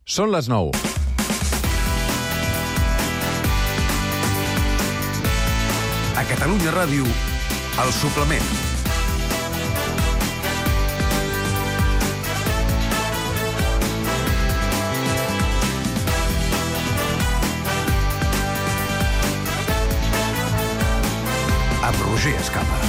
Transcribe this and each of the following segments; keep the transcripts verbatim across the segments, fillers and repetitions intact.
Són les nou. A Catalunya Ràdio, El Suplement. Amb Roger Escapa.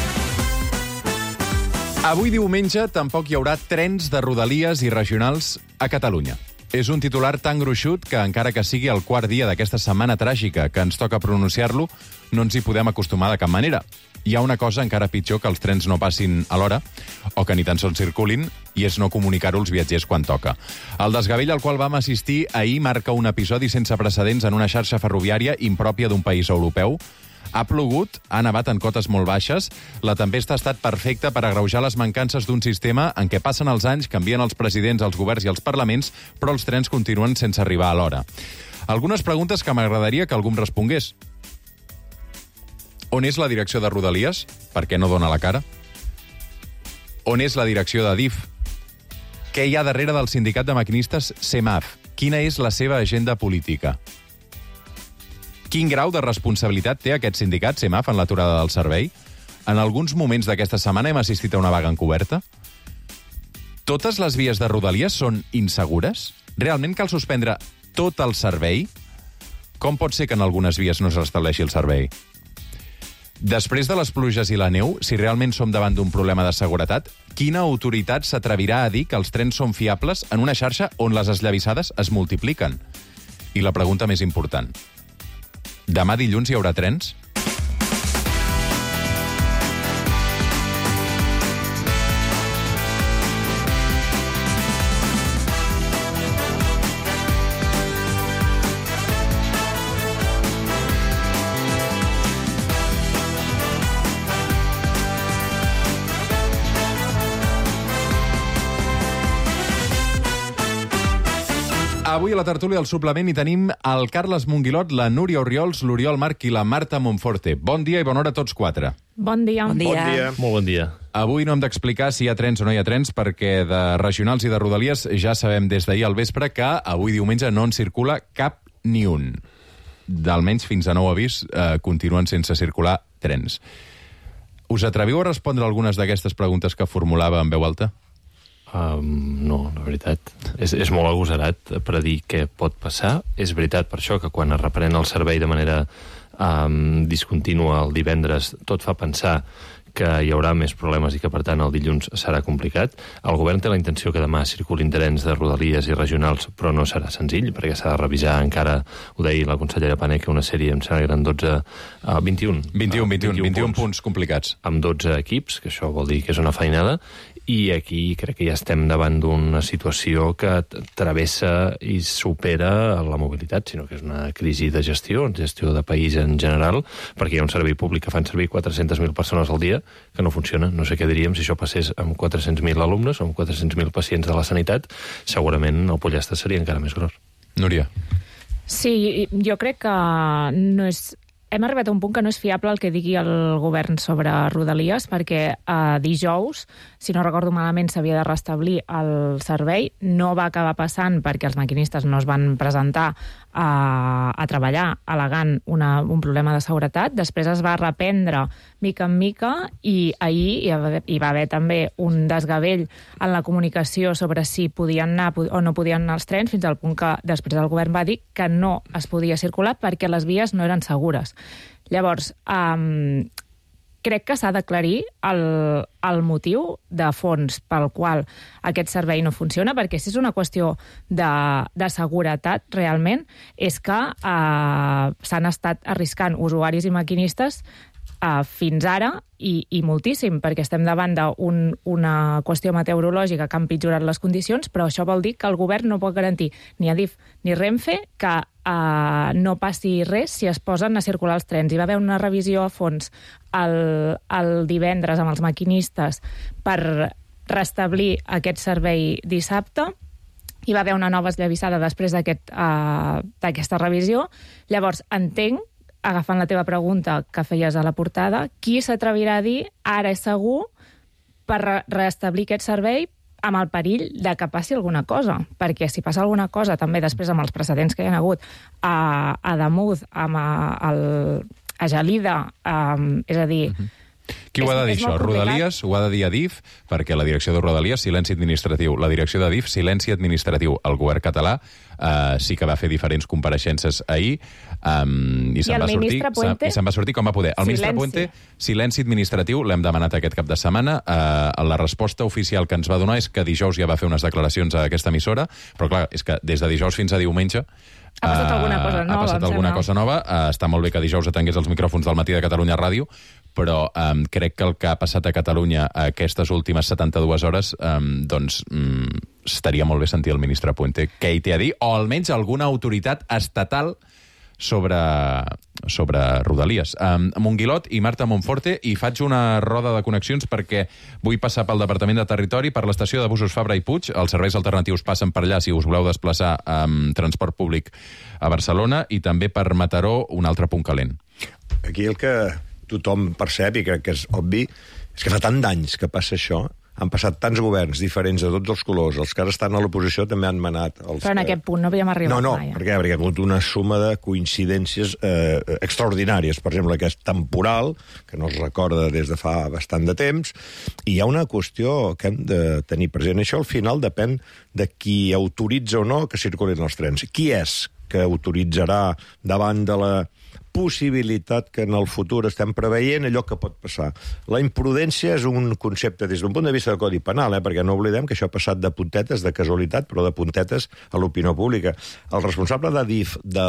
Avui diumenge tampoc hi haurà trens de rodalies i regionals a Catalunya. És un titular tan gruixut que, encara que sigui el quart dia d'aquesta setmana tràgica que ens toca pronunciar-lo, no ens hi podem acostumar de cap manera. Hi ha una cosa encara pitjor que els trens no passin a l'hora, o que ni tan sols circulin, i és no comunicar-ho als viatgers quan toca. El desgavell al qual vam assistir ahir marca un episodi sense precedents en una xarxa ferroviària impròpia d'un país europeu. Ha plogut, ha nevat en cotes molt baixes, la tempesta ha estat perfecta per agreujar les mancances d'un sistema en què passen els anys, canvien els presidents, els governs i els parlaments, però els trens continuen sense arribar a l'hora. Algunes preguntes que m'agradaria que algú em respongués. On és la direcció de Rodalies? Per què no dona la cara? On és la direcció de D I F? Què hi ha darrere del sindicat de maquinistes SEMAF? Quina és la seva agenda política? Quin grau de responsabilitat té aquest sindicat, SEMAF, en l'aturada del servei? En alguns moments d'aquesta setmana hem assistit a una vaga encoberta? Totes les vies de Rodalies són insegures? Realment cal suspendre tot el servei? Com pot ser que en algunes vies no es restableixi el servei? Després de les pluges i la neu, si realment som davant d'un problema de seguretat, quina autoritat s'atrevirà a dir que els trens són fiables en una xarxa on les esllavissades es multipliquen? I la pregunta més important: demà dilluns hi haurà trens? Avui a la tertúlia del Suplement hi tenim el Carles Monguilot, la Núria Orriols, l'Oriol March i la Marta Monforte. Bon dia i bona hora a tots quatre. Bon dia. Bon dia. Bon dia. Molt bon dia. Avui no hem d'explicar si hi ha trens o no hi ha trens, perquè de regionals i de rodalies ja sabem des d'ahir al vespre que avui diumenge no en circula cap ni un. D'almenys fins a nou avís eh, continuen sense circular trens. Us atreviu a respondre algunes d'aquestes preguntes que formulava en veu alta? Um, no, la veritat. És, és molt agosarat per dir què pot passar. És veritat per això que quan es reprèn el servei de manera um, discontínua el divendres tot fa pensar que hi haurà més problemes i que, per tant, el dilluns serà complicat. El govern té la intenció que demà circulin trens de rodalies i regionals, però no serà senzill, perquè s'ha de revisar encara, ho deia la consellera Paneque, una sèrie, em sembla que eren dotze, uh, vint-i-un. vint-i-un, vint-i-un, vint-i-un vint-i-un punts. punts complicats. Amb dotze equips, que això vol dir que és una feinada, i aquí crec que ja estem davant d'una situació que travessa i supera la mobilitat, sinó que és una crisi de gestió, gestió de país en general, perquè hi ha un servei públic que fan servir quatre-centes mil persones al dia, que no funciona. No sé què diríem si això passés amb quatre-cents mil alumnes o amb quatre-cents mil pacients de la sanitat, segurament el pollastre seria encara més gros. Núria. Sí, jo crec que no és... Hem arribat a un punt que no és fiable el que digui el govern sobre Rodalies, perquè eh, dijous, si no recordo malament, s'havia de restablir el servei. No va acabar passant perquè els maquinistes no es van presentar a, a treballar al·legant una, un problema de seguretat. Després es va reprendre mica en mica i ahir hi va, hi va haver també un desgavell en la comunicació sobre si podien anar o no podien anar els trens, fins al punt que després el govern va dir que no es podia circular perquè les vies no eren segures. Llavors, um, crec que s'ha d'aclarir el, el motiu de fons pel qual aquest servei no funciona, perquè si és una qüestió de, de seguretat, realment, és que uh, s'han estat arriscant usuaris i maquinistes uh, fins ara i, i moltíssim, perquè estem davant d'una un, qüestió meteorològica que ha empitjorat les condicions, però això vol dir que el govern no pot garantir ni a D I F ni Renfe que Uh, no passi res si es posen a circular els trens. Hi va haver una revisió a fons el, el divendres amb els maquinistes per restablir aquest servei dissabte. Hi va haver una nova esllavissada després d'aquest, uh, d'aquesta revisió. Llavors, entenc, agafant la teva pregunta que feies a la portada, qui s'atrevirà a dir ara és segur per restablir aquest servei amb el perill de que passi alguna cosa, perquè si passa alguna cosa, també després amb els precedents que hi ha hagut a, a Damús, amb a, el, a Gelida, um, és a dir... Uh-huh. Qui ho ha de dir, això? Rodalies? Ho ha de dir Adif, perquè la direcció de Rodalies, silenci administratiu. La direcció d'Adif, silenci administratiu. El govern català eh, sí que va fer diferents compareixences ahir um, i, I se'n va sortir, Puente, i se'n va sortir com va poder. El silenci. ministre Puente, silenci administratiu, l'hem demanat aquest cap de setmana. Eh, la resposta oficial que ens va donar és que dijous ja va fer unes declaracions a aquesta emissora, però clar, és que des de dijous fins a diumenge ha passat uh, alguna cosa nova. Ha passat alguna sembla. cosa nova. Uh, està molt bé que dijous atengués els micròfons del matí de Catalunya Ràdio, però um, crec que el que ha passat a Catalunya aquestes últimes setanta-dues hores, um, doncs um, estaria molt bé sentir el ministre Puente què hi té a dir, o almenys alguna autoritat estatal sobre, sobre Rodalies. Um, Monguilot i Marta Monforte, i faig una roda de connexions perquè vull passar pel Departament de Territori, per l'estació de busos Fabra i Puig. Els serveis alternatius passen per allà si us voleu desplaçar amb transport públic a Barcelona, i també per Mataró, un altre punt calent. Aquí el que tothom percep, i crec que és obvi, és que fa tant d'anys que passa això. Han passat tants governs diferents de tots els colors. Els que ara estan a l'oposició també han manat. Els Però en que... aquest punt no havíem arribat no, no, mai. No, perquè, perquè hi ha hagut una suma de coincidències eh, extraordinàries. Per exemple, aquest temporal, que no es recorda des de fa bastant de temps, i hi ha una qüestió que hem de tenir present. Això al final depèn de qui autoritza o no que circulin els trens. Qui és que autoritzarà davant de la possibilitat que en el futur estem preveient allò que pot passar. La imprudència és un concepte des d'un punt de vista del Codi Penal, eh? perquè no oblidem que això ha passat de puntetes, de casualitat, però de puntetes a l'opinió pública. El responsable d'Adif de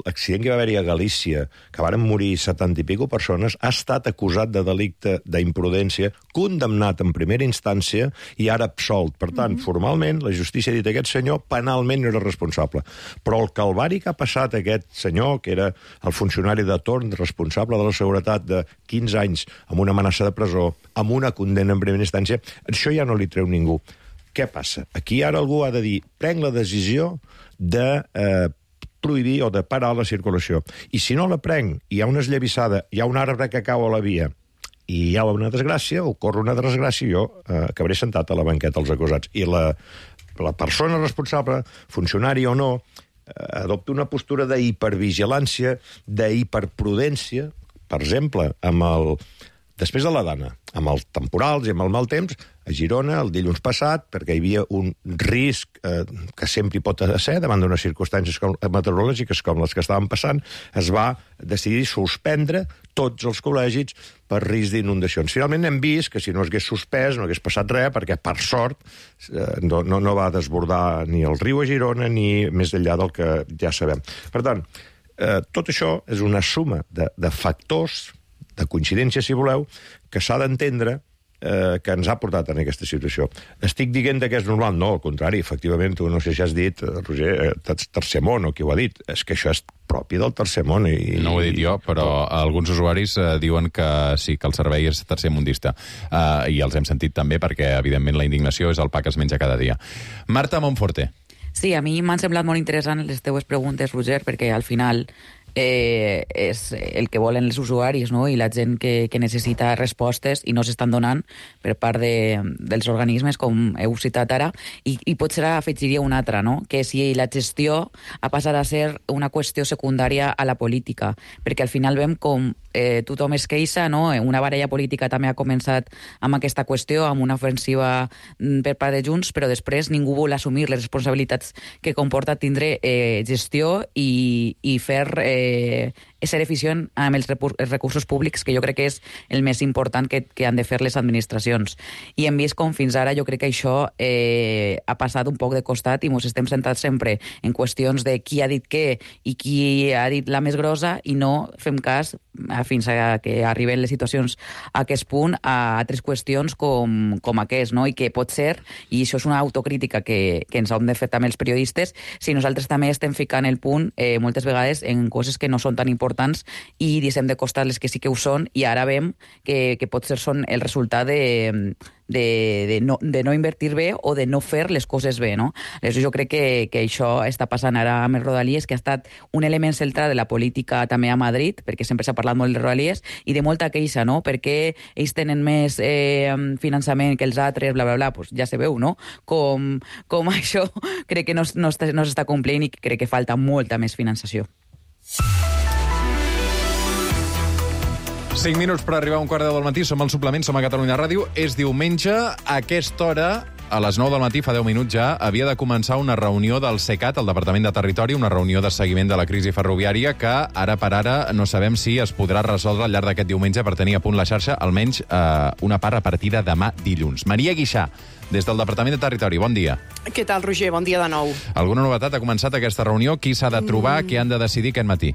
l'accident que va haver-hi a Galícia, que varen morir setanta i pico persones, ha estat acusat de delicte d'imprudència, condemnat en primera instància i ara absolt. Per tant, mm-hmm. formalment, la justícia ha dit que aquest senyor penalment no era responsable. Però el calvari que ha passat aquest senyor, que era el funcionari de torn responsable de la seguretat de quinze anys, amb una amenaça de presó, amb una condemna en primera instància, això ja no li treu ningú. Què passa? Aquí ara algú ha de dir, prenc la decisió de eh, prohibir o de parar la circulació. I si no la prenc, hi ha una esllavissada, hi ha un arbre que cau a la via, i hi ha una desgràcia, ocorre una desgràcia, jo eh, acabaré sentat a la banqueta als acusats. I la, la persona responsable, funcionari o no, adopta una postura d'hipervigilància, d'hiperprudència, per exemple, amb el... després de la Dana, amb els temporals i amb el mal temps, a Girona, el dilluns passat, perquè hi havia un risc eh, que sempre hi pot ser davant d'unes circumstàncies com, meteorològiques com les que estaven passant, es va decidir suspendre tots els col·legis per risc d'inundacions. Finalment hem vist que si no hagués suspès no hagués passat res, perquè per sort eh, no, no, no va desbordar ni el riu a Girona ni més enllà del que ja sabem. Per tant, eh, tot això és una suma de, de factors, de coincidència, si voleu, que s'ha d'entendre eh, que ens ha portat en aquesta situació. Estic dient que és normal? No, al contrari, efectivament, tu no sé si has dit, Roger, eh, tercer món, o qui ho ha dit, és que això és propi del tercer món. I, no ho he dit jo, però alguns usuaris eh, diuen que sí, que el servei és tercermundista. Eh, I els hem sentit també perquè, evidentment, la indignació és el pa que es menja cada dia. Marta Monforte. Sí, a mi m'han semblat molt interessant les teues preguntes, Roger, perquè al final eh, és el que volen els usuaris, no? I la gent que, que necessita respostes i no s'estan donant per part de, dels organismes, com heu citat ara, i, i potser afegiria una altra, no? Que si la gestió ha passat a ser una qüestió secundària a la política, perquè al final veiem com eh, tothom es queixa, no? Una baralla política també ha començat amb aquesta qüestió, amb una ofensiva per part de Junts, però després ningú vol assumir les responsabilitats que comporta tindre eh, gestió i, i fer eh, ser eficient amb els recursos públics, que jo crec que és el més important que, que han de fer les administracions. I hem vist com fins ara jo crec que això eh, ha passat un poc de costat i ens estem centrats sempre en qüestions de qui ha dit què i qui ha dit la més grossa i no fem cas, fins a que arriben les situacions a aquest punt, a altres qüestions com, com aquest, no? I que pot ser, i això és una autocrítica que, que ens hem de fer també els periodistes, si nosaltres també estem ficant el punt eh, moltes vegades en coses que no són tan importants importants i deixem de costar les que sí que ho són, i ara veiem que, que potser són el resultat de, de, de, no, de no invertir bé o de no fer les coses bé, no? Aleshores, jo crec que, que això està passant ara amb les Rodalies, que ha estat un element central de la política també a Madrid, perquè sempre s'ha parlat molt de Rodalies, i de molta queixa, no? Perquè ells tenen més eh, finançament que els altres, bla, bla, bla, pues ja se veu, no? Com, com això crec que no, no, està, no s'està complint i crec que falta molta més finançació. cinc minuts per arribar a un quart de deu del matí. Som al Suplement, som a Catalunya Ràdio. És diumenge. A aquesta hora, a les nou del matí, fa deu minuts ja, havia de començar una reunió del SECAT, el Departament de Territori, una reunió de seguiment de la crisi ferroviària que, ara per ara, no sabem si es podrà resoldre al llarg d'aquest diumenge per tenir a punt la xarxa, almenys eh, una part a partir de demà dilluns. Maria Guixà, des del Departament de Territori, bon dia. Què tal, Roger? Bon dia de nou. Alguna novetat? Ha començat aquesta reunió? Qui s'ha de trobar? Mm. Què han de decidir aquest matí?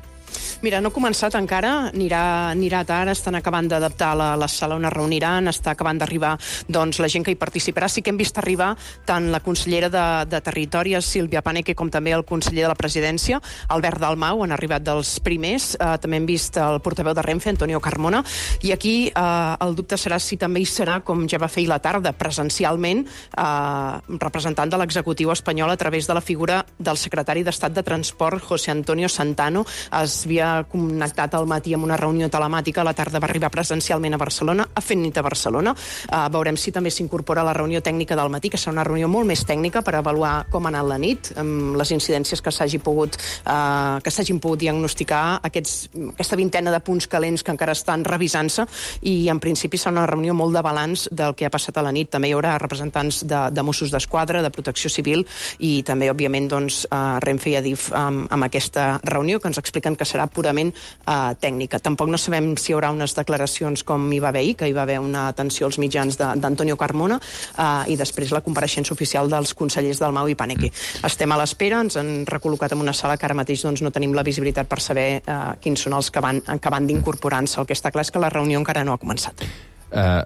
Mira, no ha començat encara, anirà, anirà tard, estan acabant d'adaptar la, la sala on es reuniran, està acabant d'arribar doncs, la gent que hi participarà. Sí que hem vist arribar tant la consellera de, de Territori, Sílvia Paneque, com també el conseller de la Presidència, Albert Dalmau, han arribat dels primers. Eh, també hem vist el portaveu de Renfe, Antonio Carmona, i aquí eh, el dubte serà si també hi serà, com ja va fer ahir la tarda, presencialment, eh, representant de l'executiu espanyol a través de la figura del secretari d'Estat de Transport, José Antonio Santano. Es havia connectat al matí amb una reunió telemàtica, a la tarda va arribar presencialment a Barcelona, ha fet nit a Barcelona. Uh, veurem si també s'incorpora a la reunió tècnica del matí, que serà una reunió molt més tècnica per avaluar com ha anat la nit, amb les incidències que s'hagi pogut, uh, que s'hagin pogut diagnosticar, aquests, aquesta vintena de punts calents que encara estan revisant-se, i en principi serà una reunió molt de balanç del que ha passat a la nit. També hi haurà representants de, de Mossos d'Esquadra, de Protecció Civil, i també, òbviament, doncs, uh, Renfe i Adif amb, amb aquesta reunió, que ens expliquen que serà purament uh, tècnica. Tampoc no sabem si hi haurà unes declaracions com hi va haver ahir, que hi va haver una atenció als mitjans d'Antonio Carmona, uh, i després la compareixença oficial dels consellers Dalmau i Paneque. Mm. Estem a l'espera, ens han recol·locat en una sala que ara mateix doncs, no tenim la visibilitat per saber uh, quins són els que van, que van d'incorporar-se. El que està clar és que la reunió encara no ha començat. Uh,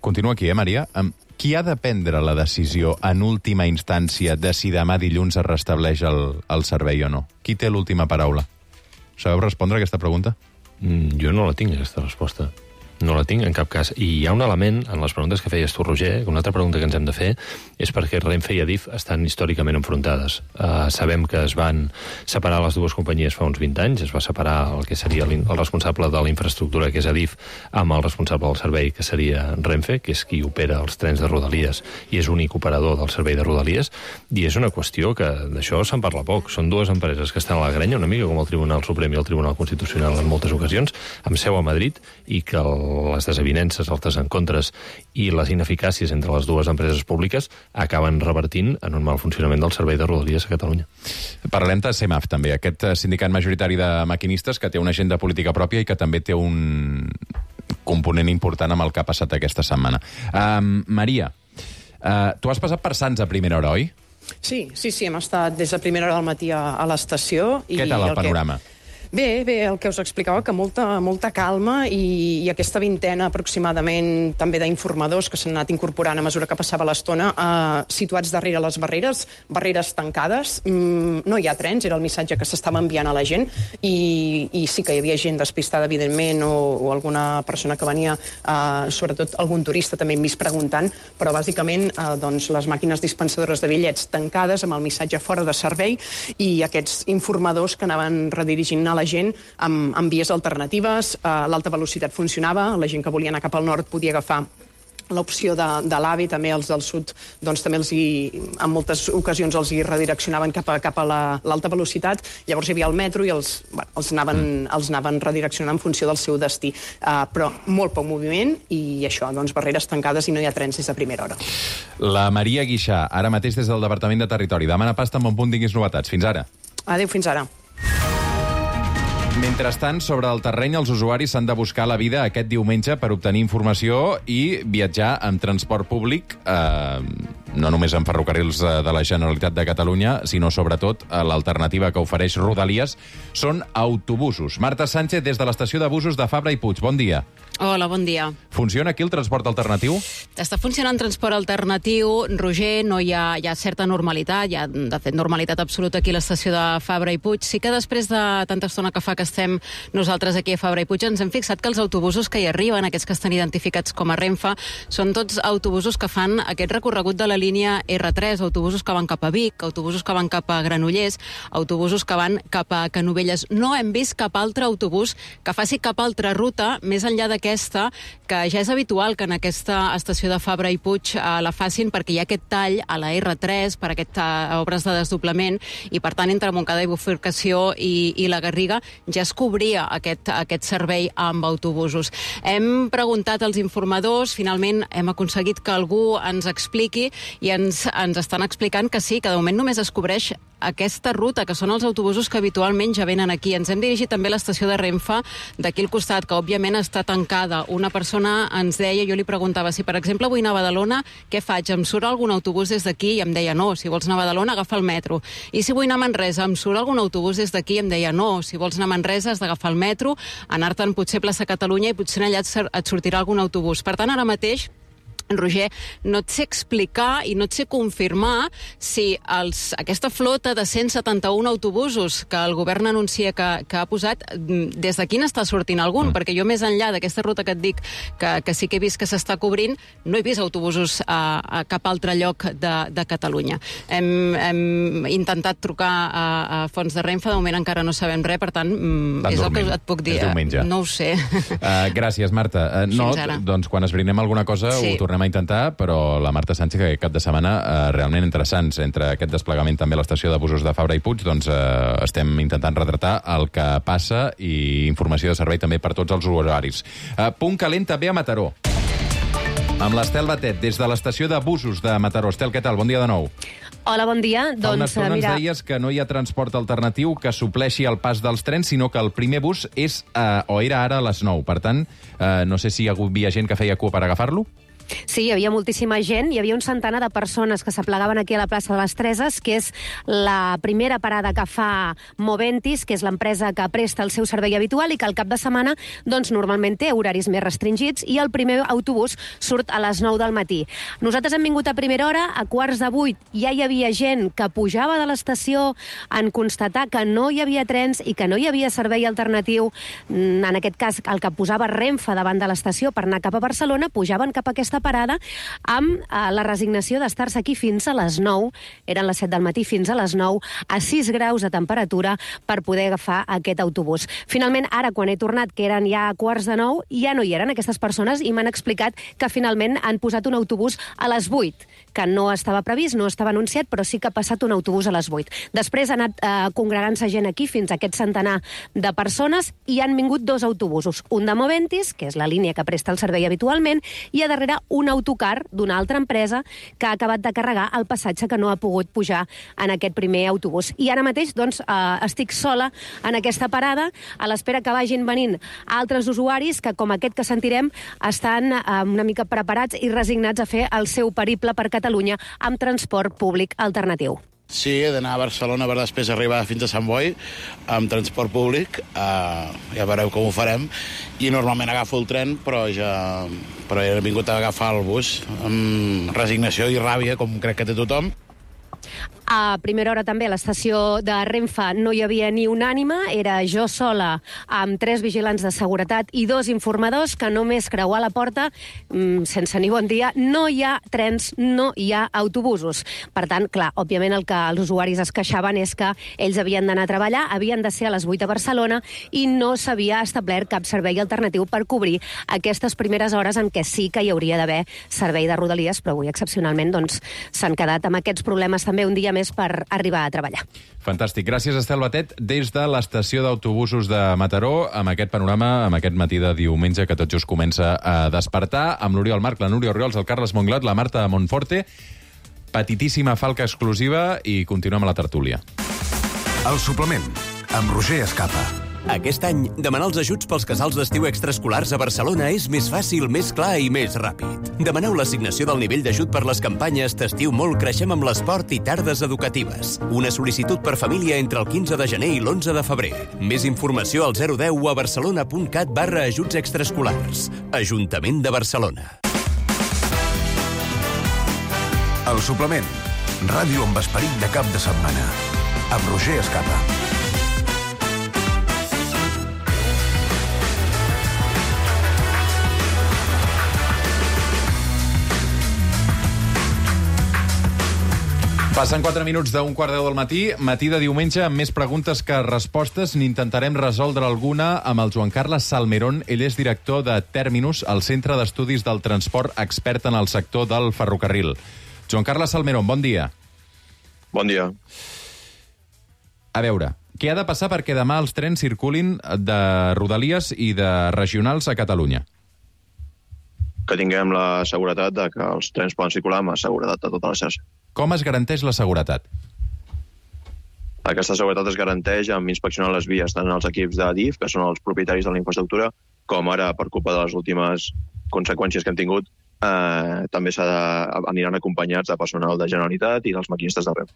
continua aquí, eh, Maria? Um, qui ha de prendre la decisió en última instància de si demà dilluns es restableix el, el servei o no? Qui té l'última paraula? Sabeu respondre a aquesta pregunta? Mm, jo no la tinc, aquesta resposta. No la tinc en cap cas. I hi ha un element en les preguntes que feies tu, Roger, una altra pregunta que ens hem de fer és perquè Renfe i Adif estan històricament enfrontades. Uh, sabem que es van separar les dues companyies fa uns vint anys, es va separar el que seria el responsable de la infraestructura, que és Adif, amb el responsable del servei, que seria Renfe, que és qui opera els trens de Rodalies i és únic operador del servei de Rodalies, i és una qüestió que d'això se'n parla poc. Són dues empreses que estan a la grenya, una mica com el Tribunal Suprem i el Tribunal Constitucional en moltes ocasions, amb seu a Madrid, i que el les desavinences, els desencontres i les ineficàcies entre les dues empreses públiques acaben revertint en un mal funcionament del servei de Rodalies a Catalunya. Parlem de CEMAF, també, aquest sindicat majoritari de maquinistes que té una agenda política pròpia i que també té un component important amb el que ha passat aquesta setmana. Um, Maria, uh, tu has passat per Sants a primera hora, oi? Sí, sí, sí, hem estat des de primera hora del matí a, a l'estació. Què tal el, el panorama? Que... Bé, bé, el que us explicava, que molta, molta calma i, i aquesta vintena aproximadament també d'informadors que s'han anat incorporant a mesura que passava l'estona, eh, situats darrere les barreres, barreres tancades, mm, no hi ha trens, era el missatge que s'estava enviant a la gent, i, i sí que hi havia gent despistada, evidentment, o, o alguna persona que venia, eh, sobretot algun turista també hem vist preguntant, però bàsicament eh, doncs, les màquines dispensadores de bitllets tancades amb el missatge fora de servei i aquests informadors que anaven redirigint a la gent amb, amb vies alternatives. Uh, l'alta velocitat funcionava, la gent que volia anar cap al nord podia agafar l'opció de, de l'AVE, també els del sud, doncs també els hi, en moltes ocasions els hi redireccionaven cap a, cap a la, l'alta velocitat. Llavors hi havia el metro i els, bueno, els, anaven, els anaven redireccionant en funció del seu destí. Uh, però molt poc moviment i això, doncs barreres tancades i no hi ha trens des de primera hora. La Maria Guixà, ara mateix des del Departament de Territori. Demana pasta amb un punt, tinguis novetats. Fins ara. Adéu, fins ara. Mentrestant, sobre el terreny, els usuaris s'han de buscar la vida aquest diumenge per obtenir informació i viatjar amb transport públic eh, no només en ferrocarrils de la Generalitat de Catalunya, sinó sobretot l'alternativa que ofereix Rodalies són autobusos. Marta Sánchez, des de l'estació de busos de Fabra i Puig. Bon dia. Hola, bon dia. Funciona aquí el transport alternatiu? Està funcionant transport alternatiu, Roger, no hi ha, hi ha certa normalitat, hi ha, de fet, normalitat absoluta aquí a l'estació de Fabra i Puig. Sí que després de tanta estona que fa que estem nosaltres aquí a Fabra i Puig ens hem fixat que els autobusos que hi arriben, aquests que estan identificats com a Renfe, són tots autobusos que fan aquest recorregut de la línia erre tres, autobusos que van cap a Vic, autobusos que van cap a Granollers, autobusos que van cap a Canovelles. No hem vist cap altre autobús que faci cap altra ruta, més enllà d'aquesta, que ja és habitual que en aquesta estació de Fabra i Puig eh, la facin perquè hi ha aquest tall a la erre tres per aquestes obres de desdoblament i, per tant, entre Montcada i Bifurcació i, i la Garriga ja es cobria aquest, aquest servei amb autobusos. Hem preguntat als informadors, finalment hem aconseguit que algú ens expliqui i ens, ens estan explicant que sí, que de moment només es cobreix aquesta ruta, que són els autobusos que habitualment ja venen aquí. Ens hem dirigit també a l'estació de Renfe d'aquí al costat, que òbviament està tancada. Una persona ens deia, jo li preguntava si, per exemple, vull anar a Badalona, què faig? Em surt algun autobús des d'aquí? I em deia, no, si vols anar a Badalona, agafa el metro. I si vull anar a Manresa, em surt algun autobús des d'aquí? Em deia, no, si vols anar a Manresa has d'agafar el metro, anar-te'n potser a plaça Catalunya i potser allà et sortirà algun autobús. Per tant, ara mateix, Roger, no et sé explicar i no et sé confirmar si els, aquesta flota de cent setanta-un autobusos que el govern anuncia que, que ha posat, des d'aquí n'està sortint algun, mm. perquè jo més enllà d'aquesta ruta que et dic que, que sí que he vist que s'està cobrint, no he vist autobusos a, a cap altre lloc de, de Catalunya. Hem, hem intentat trucar a, a Fons de Renfe, de moment encara no sabem res, per tant, Van és dormint. El que et puc dir. No ho sé. Uh, gràcies, Marta. Uh, no, doncs quan esbrinem alguna cosa sí. ho tornem a intentar, però la Marta Sánchez, que aquest cap de setmana eh, realment interessants, entre aquest desplegament també a l'estació de busos de Fabra i Puig, doncs eh, estem intentant retratar el que passa i informació de servei també per tots els usuaris. Eh, punt calent també a Mataró. Amb l'Estel Batet, des de l'estació de busos de Mataró. Estel, què tal? Bon dia de nou. Hola, bon dia. Fa una doncs, estona mira... ens deies que no hi ha transport alternatiu que supleixi el pas dels trens, sinó que el primer bus és, eh, o era ara a les nou. Per tant, eh, no sé si hi havia gent que feia cua per agafar-lo? Sí, hi havia moltíssima gent, hi havia un centenar de persones que s'aplegaven aquí a la plaça de les Treses, que és la primera parada que fa Moventis, que és l'empresa que presta el seu servei habitual i que al cap de setmana doncs, normalment té horaris més restringits i el primer autobús surt a les nou del matí. Nosaltres hem vingut a primera hora, a quarts de vuit ja hi havia gent que pujava de l'estació en constatar que no hi havia trens i que no hi havia servei alternatiu, en aquest cas el que posava Renfe davant de l'estació per anar cap a Barcelona, pujaven cap a aquesta parada amb eh, la resignació d'estar-se aquí fins a les nou, eren les set del matí fins a les nou, a sis graus de temperatura per poder agafar aquest autobús. Finalment, ara, quan he tornat, que eren ja quarts de nou, ja no hi eren aquestes persones i m'han explicat que finalment han posat un autobús a les vuit, que no estava previst, no estava anunciat, però sí que ha passat un autobús a les vuit. Després ha anat eh, congregant-se gent aquí fins a aquest centenar de persones i han vingut dos autobusos, un de Moventis, que és la línia que presta el servei habitualment, i a darrere un autocar d'una altra empresa que ha acabat de carregar el passatge que no ha pogut pujar en aquest primer autobús. I ara mateix doncs, eh, estic sola en aquesta parada, a l'espera que vagin venint altres usuaris que, com aquest que sentirem, estan eh, una mica preparats i resignats a fer el seu periple per Catalunya amb transport públic alternatiu. Sí, he d'anar a Barcelona per després arribar fins a Sant Boi amb transport públic, uh, ja veureu com ho farem, i normalment agafo el tren, però ja però he vingut a agafar el bus amb resignació i ràbia, com crec que té tothom. A primera hora també a l'estació de Renfe no hi havia ni un ànima, era jo sola amb tres vigilants de seguretat i dos informadors que només creuar la porta, mmm, sense ni bon dia, no hi ha trens, no hi ha autobusos. Per tant, clar, òbviament el que els usuaris es queixaven és que ells havien d'anar a treballar, havien de ser a les vuit a Barcelona i no s'havia establert cap servei alternatiu per cobrir aquestes primeres hores en què sí que hi hauria d'haver servei de Rodalies, però avui excepcionalment doncs, s'han quedat amb aquests problemes també un dia més per arribar a treballar. Fantàstic. Gràcies, Estel Batet, des de l'estació d'autobusos de Mataró, amb aquest panorama, amb aquest matí de diumenge que tot just comença a despertar, amb l'Oriol Marc, la Núria Orriols, el Carles Monglot, la Marta Monforte. Petitíssima falca exclusiva i continuem a la tertúlia. El suplement, amb Roger Escapa. Aquest any, demanar els ajuts pels casals d'estiu extraescolars a Barcelona és més fàcil, més clar i més ràpid. Demaneu l'assignació del nivell d'ajut per les campanyes T'estiu molt, creixem amb l'esport i tardes educatives. Una sol·licitud per família entre el quinze de gener i l'onze de febrer. Més informació al zero deu o a barcelona.cat barra ajuts extraescolars. Ajuntament de Barcelona. El suplement. Ràdio amb esperit de cap de setmana. Amb Roger Escapa. Passen quatre minuts d'un quart deu del matí, matí de diumenge amb més preguntes que respostes. N'intentarem resoldre alguna amb el Joan Carles Salmerón. Ell és director de Terminus, el Centre d'Estudis del Transport, expert en el sector del ferrocarril. Joan Carles Salmerón, bon dia. Bon dia. A veure, què ha de passar perquè demà els trens circulin de Rodalies i de regionals a Catalunya? Que tinguem la seguretat de que els trens poden circular amb seguretat a tota la xarxa. Com es garanteix la seguretat? Aquesta seguretat es garanteix amb inspeccionar les vies, tant els equips d'Adif, que són els propietaris de la infraestructura, com ara, per culpa de les últimes conseqüències que hem tingut, eh, també s'ha de, aniran acompanyats de personal de Generalitat i dels maquinistes d'arreu.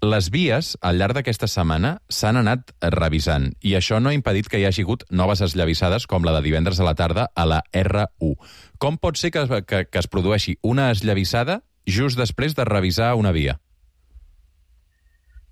Les vies, al llarg d'aquesta setmana, s'han anat revisant, i això no ha impedit que hi hagi hagut noves esllavissades, com la de divendres a la tarda a la erra u. Com pot ser que, que, que es produeixi una esllavissada just després de revisar una via?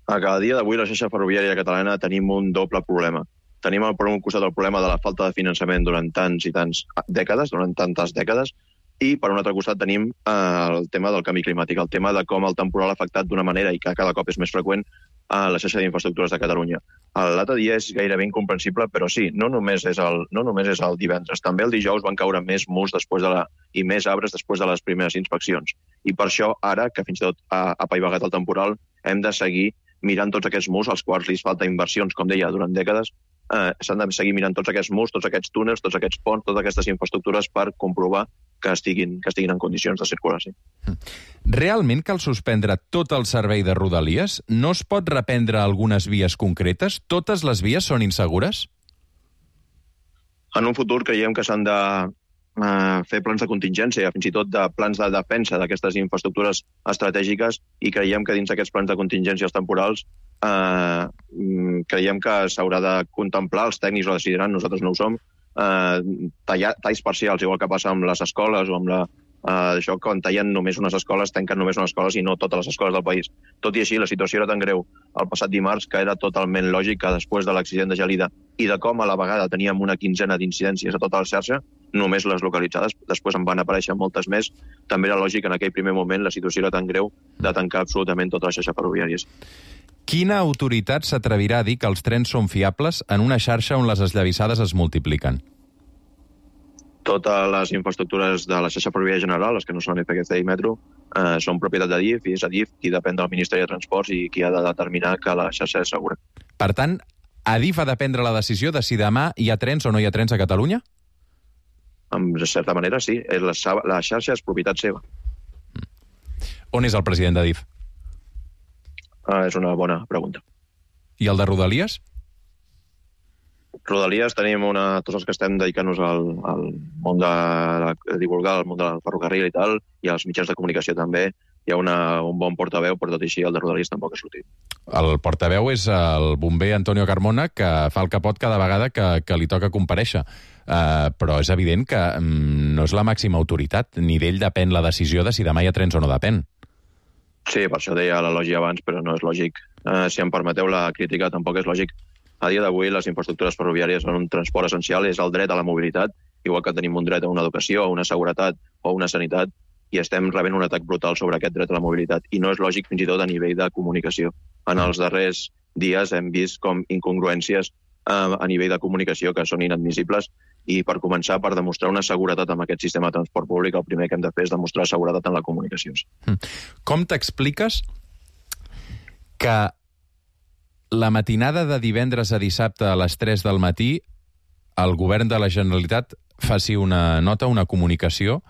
A cada dia d'avui la xarxa ferroviària catalana tenim un doble problema. Tenim per un costat el problema de la falta de finançament durant tants i tants dècades, durant tantes dècades, i per un altre costat tenim eh, el tema del canvi climàtic, el tema de com el temporal ha afectat d'una manera i que cada cop és més freqüent a la xarxa d'infraestructures de Catalunya. L'altre dia és gairebé incomprensible, però sí, no només és el, no només és el divendres. També el dijous van caure més murs després de la, i més arbres després de les primeres inspeccions. I per això, ara, que fins i tot ha apaivagat el temporal, hem de seguir mirant tots aquests murs, als quals li falta inversions, com deia, durant dècades. Eh, s'han de seguir mirant tots aquests murs, tots aquests túnels, tots aquests ponts, totes aquestes infraestructures per comprovar que estiguin, que estiguin en condicions de circulació. Realment cal suspendre tot el servei de Rodalies? No es pot reprendre algunes vies concretes? Totes les vies són insegures? En un futur creiem que s'han de eh, fer plans de contingència, fins i tot de plans de defensa d'aquestes infraestructures estratègiques, i creiem que dins d'aquests plans de contingències temporals eh, creiem que s'haurà de contemplar, els tècnics ho decidiran, nosaltres no ho som, eh, tallar, talls parcials, igual que passa amb les escoles o amb la, eh, això, quan tallen només unes escoles, tanquen només unes escoles i no totes les escoles del país. Tot i així, la situació era tan greu el passat dimarts que era totalment lògic que després de l'accident de Gelida i de com a la vegada teníem una quinzena d'incidències a tota la xarxa, només les localitzades, després en van aparèixer moltes més, també era lògic en aquell primer moment la situació era tan greu de tancar absolutament tota la xarxa ferroviària. Quina autoritat s'atrevirà a dir que els trens són fiables en una xarxa on les esllavissades es multipliquen? Totes les infraestructures de la xarxa ferroviària general, les que no són F G C i Metro, eh, són propietat d'Adif, i és Adif qui depèn del Ministeri de Transports i qui ha de determinar que la xarxa és segura. Per tant, Adif ha de prendre la decisió de si demà hi ha trens o no hi ha trens a Catalunya? En certa manera, sí. La, la xarxa és propietat seva. On és el president d'Adif? Ah, és una bona pregunta. I el de Rodalies? Rodalies tenim una... Tots els que estem dedicant-nos al, al món de, de divulgar, al món del ferrocarril i tal, i als mitjans de comunicació també, hi ha una, un bon portaveu, però tot i així el de Rodalies tampoc ha sortit. El portaveu és el bomber Antonio Carmona, que fa el capot cada vegada que, que li toca comparèixer. Uh, però és evident que um, no és la màxima autoritat, ni d'ell depèn la decisió de si demà hi ha trens o no depèn. Sí, per això deia l'elogi abans, però no és lògic. Uh, si em permeteu la crítica, tampoc és lògic. A dia d'avui les infraestructures ferroviàries són un transport essencial, és el dret a la mobilitat, igual que tenim un dret a una educació, a una seguretat o a una sanitat, i estem rebent un atac brutal sobre aquest dret a la mobilitat. I no és lògic fins i tot a nivell de comunicació. En els darrers dies hem vist com incongruències uh, a nivell de comunicació que són inadmissibles, i per començar, per demostrar una seguretat amb aquest sistema de transport públic, el primer que hem de fer és demostrar seguretat en la comunicació. Com t'expliques que la matinada de divendres a dissabte a les tres del matí el govern de la Generalitat faci una nota, una comunicació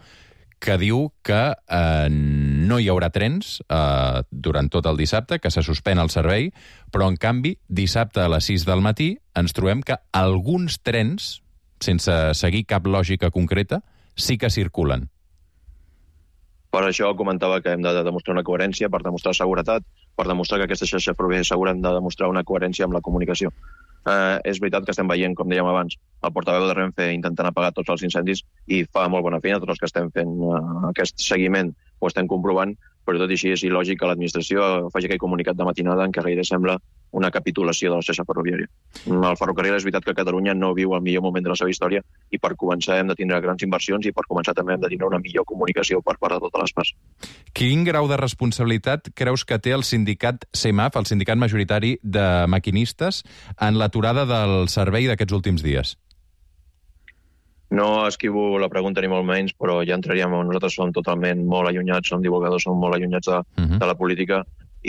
que diu que eh, no hi haurà trens eh, durant tot el dissabte, que se suspèn el servei, però en canvi dissabte a les sis del matí ens trobem que alguns trens, sense seguir cap lògica concreta, sí que circulen. Per això comentava que hem de demostrar una coherència, per demostrar seguretat, per demostrar que aquesta xarxa ferroviària segura hem de demostrar una coherència amb la comunicació. Eh, és veritat que estem veient, com dèiem abans, el portaveu de Renfe intentant apagar tots els incendis i fa molt bona feina, tots els que estem fent eh, aquest seguiment ho estem comprovant, però tot i així és il·lògic que l'administració faci aquell comunicat de matinada en què gairebé sembla una capitulació de la xarxa ferroviària. El ferrocarril és veritat que Catalunya no viu el millor moment de la seva història i per començar hem de tindre grans inversions i per començar també hem de tindre una millor comunicació per part de totes les parts. Quin grau de responsabilitat creus que té el sindicat CEMAF, el sindicat majoritari de maquinistes, en l'aturada del servei d'aquests últims dies? No esquivo la pregunta ni molt menys, però ja entraríem on nosaltres som totalment molt allunyats, som divulgadors, som molt allunyats de, uh-huh. de la política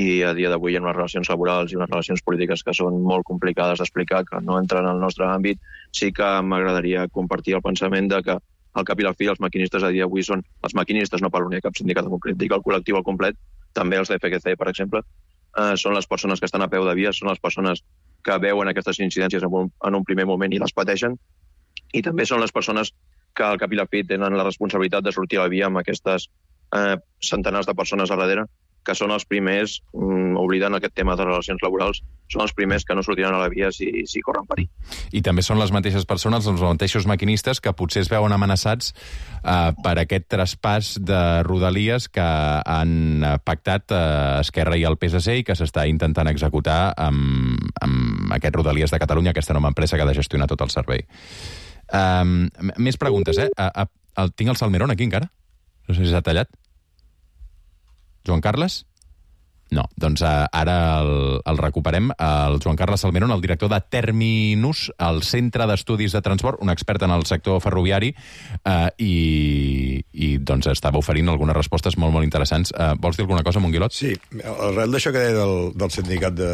i a dia d'avui hi ha unes relacions laborals i unes relacions polítiques que són molt complicades d'explicar, que no entren al nostre àmbit. Sí que m'agradaria compartir el pensament de que al cap i la fi els maquinistes a dia d'avui són els maquinistes, no per unir cap sindicat en concret, dic el col·lectiu al complet, també els de F G C, per exemple, eh, són les persones que estan a peu de via, són les persones que veuen aquestes incidències en un, en un primer moment i les pateixen, i també són les persones que al cap i la fi tenen la responsabilitat de sortir a la via amb aquestes eh, centenars de persones a darrere, que són els primers, mm, oblidant aquest tema de relacions laborals, són els primers que no sortiran a la via si, si corren perill. I també són les mateixes persones, els mateixos maquinistes, que potser es veuen amenaçats eh, per aquest traspàs de Rodalies que han pactat eh, Esquerra i el P S C i que s'està intentant executar amb, amb aquest Rodalies de Catalunya, aquesta nova empresa que ha de gestionar tot el servei. Um, més preguntes, eh? A, a, el, tinc el Salmerón aquí encara? No sé si s'ha tallat. Joan Carles? No, doncs uh, ara el, el recuperem. El Joan Carles Salmerón, el director de Terminus, el Centre d'Estudis de Transport, un expert en el sector ferroviari, uh, i, i doncs estava oferint algunes respostes molt, molt interessants. Uh, vols dir alguna cosa, Monguilot? Sí, arrel d'això que deia del, del sindicat de,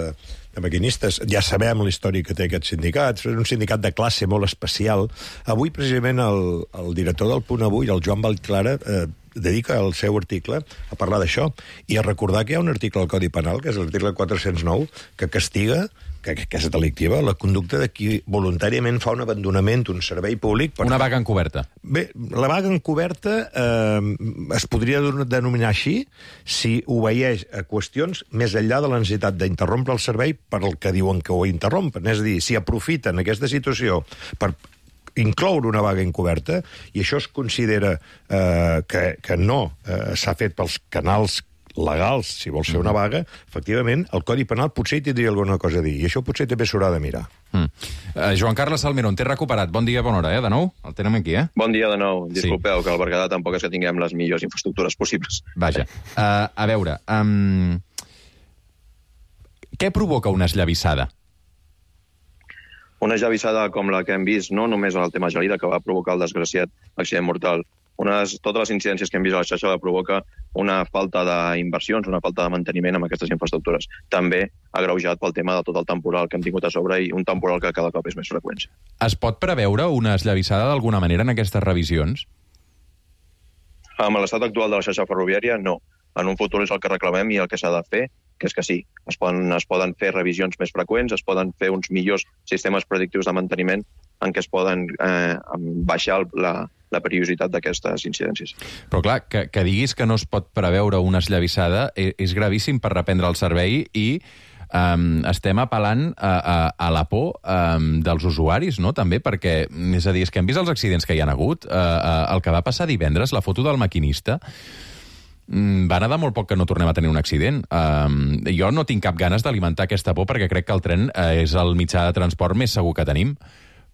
de maquinistes, ja sabem la història que té aquest sindicat, és un sindicat de classe molt especial. Avui, precisament, el, el director del Punt Avui, el Joan Vallclara, eh, dedica el seu article a parlar d'això i a recordar que hi ha un article al Codi Penal, que és l'article quatre-cents nou, que castiga, que, que és delictiva, la conducta de qui voluntàriament fa un abandonament d'un servei públic. Per... Una vaga encoberta. Bé, la vaga encoberta eh, es podria denominar així si obeeix a qüestions més enllà de la necessitat d'interrompre el servei per el que diuen que ho interrompen. És a dir, si aprofiten aquesta situació per incloure una vaga encoberta, i això es considera eh, que, que no eh, s'ha fet pels canals legals, si vols fer una vaga, efectivament, el Codi Penal potser hi tindria alguna cosa a dir, i això potser també s'haurà de mirar. Mm. Uh, Joan Carles Salmerón, t'he recuperat. Bon dia, bona hora, eh, de nou? El tenem aquí, eh? Bon dia de nou. Disculpeu, sí. Que al Berguedà tampoc és que tinguem les millors infraestructures possibles. Vaja. Uh, a veure, um... què provoca una esllavissada? Una esllavissada com la que hem vist, no només en el tema Gelida, que va provocar el desgraciat accident mortal. Unes, totes les incidències que hem vist a la xarxa la provoca una falta d'inversions, una falta de manteniment amb aquestes infraestructures. També agreujat pel tema de tot el temporal que hem tingut a sobre i un temporal que cada cop és més freqüent. Es pot preveure una esllavissada d'alguna manera en aquestes revisions? Amb l'estat actual de la xarxa ferroviària, no. En un futur és el que reclamem i el que s'ha de fer, que és que sí, es poden, es poden fer revisions més freqüents, es poden fer uns millors sistemes predictius de manteniment en què es poden eh, baixar la, la periodicitat d'aquestes incidències. Però clar, que, que diguis que no es pot preveure una esllavissada és, és gravíssim per reprendre el servei i um, estem apel·lant a, a, a la por um, dels usuaris, no?, també, perquè, és a dir, és que hem vist els accidents que hi ha hagut. Uh, uh, el que va passar divendres, la foto del maquinista, va anar de molt poc que no tornem a tenir un accident. Um, jo no tinc cap ganes d'alimentar aquesta por perquè crec que el tren uh, és el mitjà de transport més segur que tenim.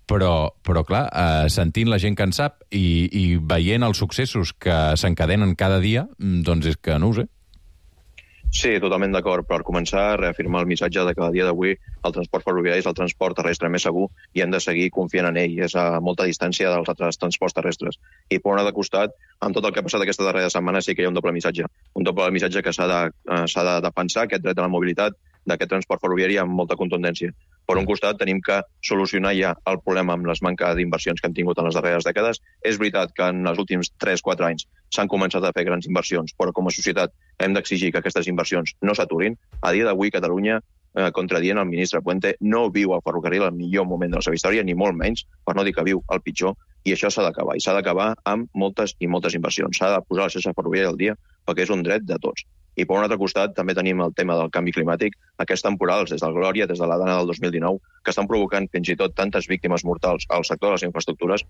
Però, però clar, uh, sentint la gent que en sap i, i veient els successos que s'encadenen cada dia, doncs és que no ho sé. Sí, totalment d'acord. Per començar, reafirmar el missatge de que a dia d'avui el transport ferroviari és el transport terrestre més segur i hem de seguir confiant en ell. És a molta distància dels altres transports terrestres. I per un altre costat, amb tot el que ha passat aquesta darrera setmana, sí que hi ha un doble missatge. Un doble missatge que s'ha de, uh, s'ha de defensar aquest dret a la mobilitat d'aquest transport ferroviari amb molta contundència. Per un costat, tenim que solucionar ja el problema amb les manques d'inversions que hem tingut en les darreres dècades. És veritat que en els últims tres quatre anys s'han començat a fer grans inversions, però com a societat hem d'exigir que aquestes inversions no s'aturin. A dia d'avui, Catalunya eh, contradient el ministre Puente. No viu al ferrocarril el millor moment de la seva història, ni molt menys, per no dir que viu el pitjor, i això s'ha d'acabar. I s'ha d'acabar amb moltes i moltes inversions. S'ha de posar la xarxa ferroviària al dia perquè és un dret de tots. I per un altre costat també tenim el tema del canvi climàtic, aquests temporals des del Glòria, des de la Dana del dos mil dinou, que estan provocant fins i tot tantes víctimes mortals al sector de les infraestructures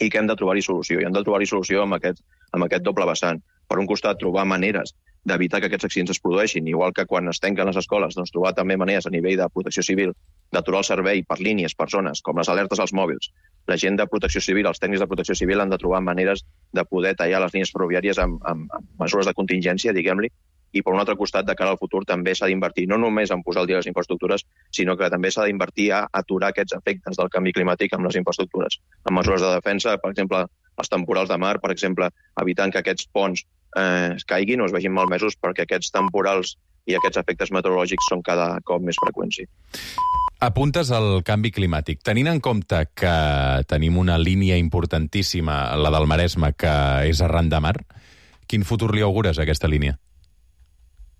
i que hem de trobar-hi solució. I hem de trobar-hi solució amb aquest, amb aquest doble vessant. Per un costat, trobar maneres d'evitar que aquests accidents es produeixin, igual que quan es tanquen les escoles, doncs trobar també maneres a nivell de protecció civil d'aturar el servei per línies, per zones, com les alertes als mòbils. La gent de protecció civil, els tècnics de protecció civil han de trobar maneres de poder tallar les línies ferroviàries amb, amb, amb mesures de contingència, diguem-li, i per un altre costat, de cara al futur, també s'ha d'invertir no només en posar al dia les infraestructures, sinó que també s'ha d'invertir a aturar aquests efectes del canvi climàtic amb les infraestructures. Amb mesures de defensa, per exemple, els temporals de mar, per exemple, evitant que aquests ponts eh, es caiguin o es vegin malmesos perquè aquests temporals i aquests efectes meteorològics són cada cop més freqüents. Apuntes al canvi climàtic. Tenint en compte que tenim una línia importantíssima, la del Maresme, que és arran de mar, quin futur li augures a aquesta línia?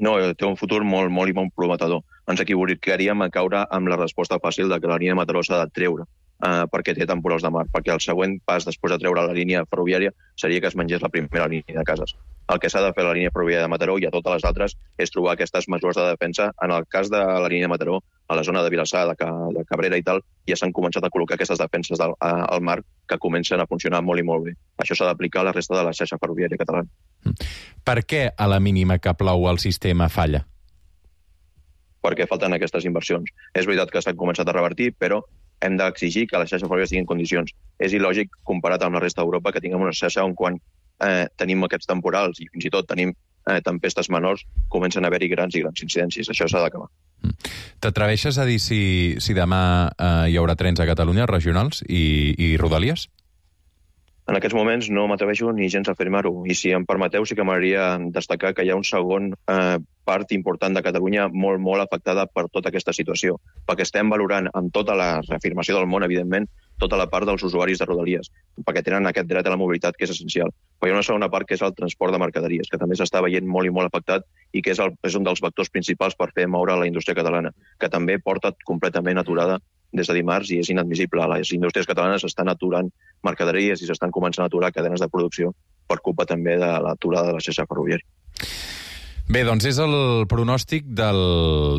No, té un futur molt, molt i molt prometedor. Ens equivocaríem a caure amb la resposta fàcil de que la línia de Mataró s'ha de treure eh, perquè té temporals de mar, perquè el següent pas després de treure la línia ferroviària seria que es mengés la primera línia de cases. El que s'ha de fer a la línia ferroviària de Mataró i a totes les altres és trobar aquestes mesures de defensa. En el cas de la línia de Mataró, a la zona de Vilassar, de, de Cabrera i tal, ja s'han començat a col·locar aquestes defenses del, a, al mar que comencen a funcionar molt i molt bé. Això s'ha d'aplicar a la resta de la xarxa ferroviària catalana. Per què a la mínima que plou el sistema falla? Perquè falten aquestes inversions. És veritat que s'han començat a revertir, però hem d'exigir que la xarxa ferroviària estigui en condicions. És il·lògic, comparat amb la resta d'Europa, que tinguem una xarxa on quan eh, tenim aquests temporals i fins i tot tenim eh, tempestes menors, comencen a haver-hi grans i grans incidències. Això s'ha d'acabar. T'atreveixes a dir si, si demà eh, hi haurà trens a Catalunya, regionals i, i rodalies? En aquests moments no m'atreveixo ni gens a afirmar-ho. I si em permeteu, sí que m'agradaria destacar que hi ha un segon eh, part important de Catalunya molt, molt afectada per tota aquesta situació, perquè estem valorant amb tota la reafirmació del món, evidentment, tota la part dels usuaris de rodalies, perquè tenen aquest dret a la mobilitat que és essencial. Però hi ha una segona part que és el transport de mercaderies, que també s'està veient molt i molt afectat i que és, el, és un dels vectors principals per fer moure la indústria catalana, que també porta completament aturada des de dimarts i és inadmissible. Les indústries catalanes estan aturant mercaderies i s'estan començant a aturar cadenes de producció per culpa també de l'aturada de la xarxa ferroviària. Bé, doncs és el pronòstic del,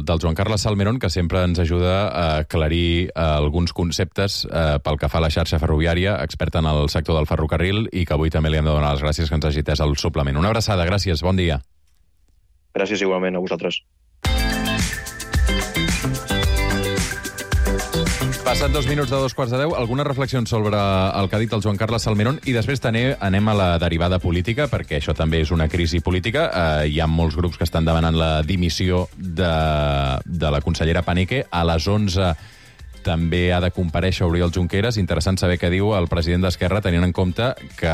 del Joan Carles Salmerón, que sempre ens ajuda a aclarir eh, alguns conceptes eh, pel que fa a la xarxa ferroviària, expert en el sector del ferrocarril, i que avui també li hem de donar les gràcies que ens hagi atès al suplement. Una abraçada, gràcies, bon dia. Gràcies igualment a vosaltres. Passat dos minuts de dos quarts de deu, algunes reflexions sobre el que ha dit el Joan Carles Salmerón i després també anem a la derivada política, perquè això també és una crisi política. Eh, hi ha molts grups que estan demanant la dimissió de, de la consellera Paneque. A les onze també ha de comparèixer Oriol Junqueras. Interessant saber què diu el president d'Esquerra, tenint en compte que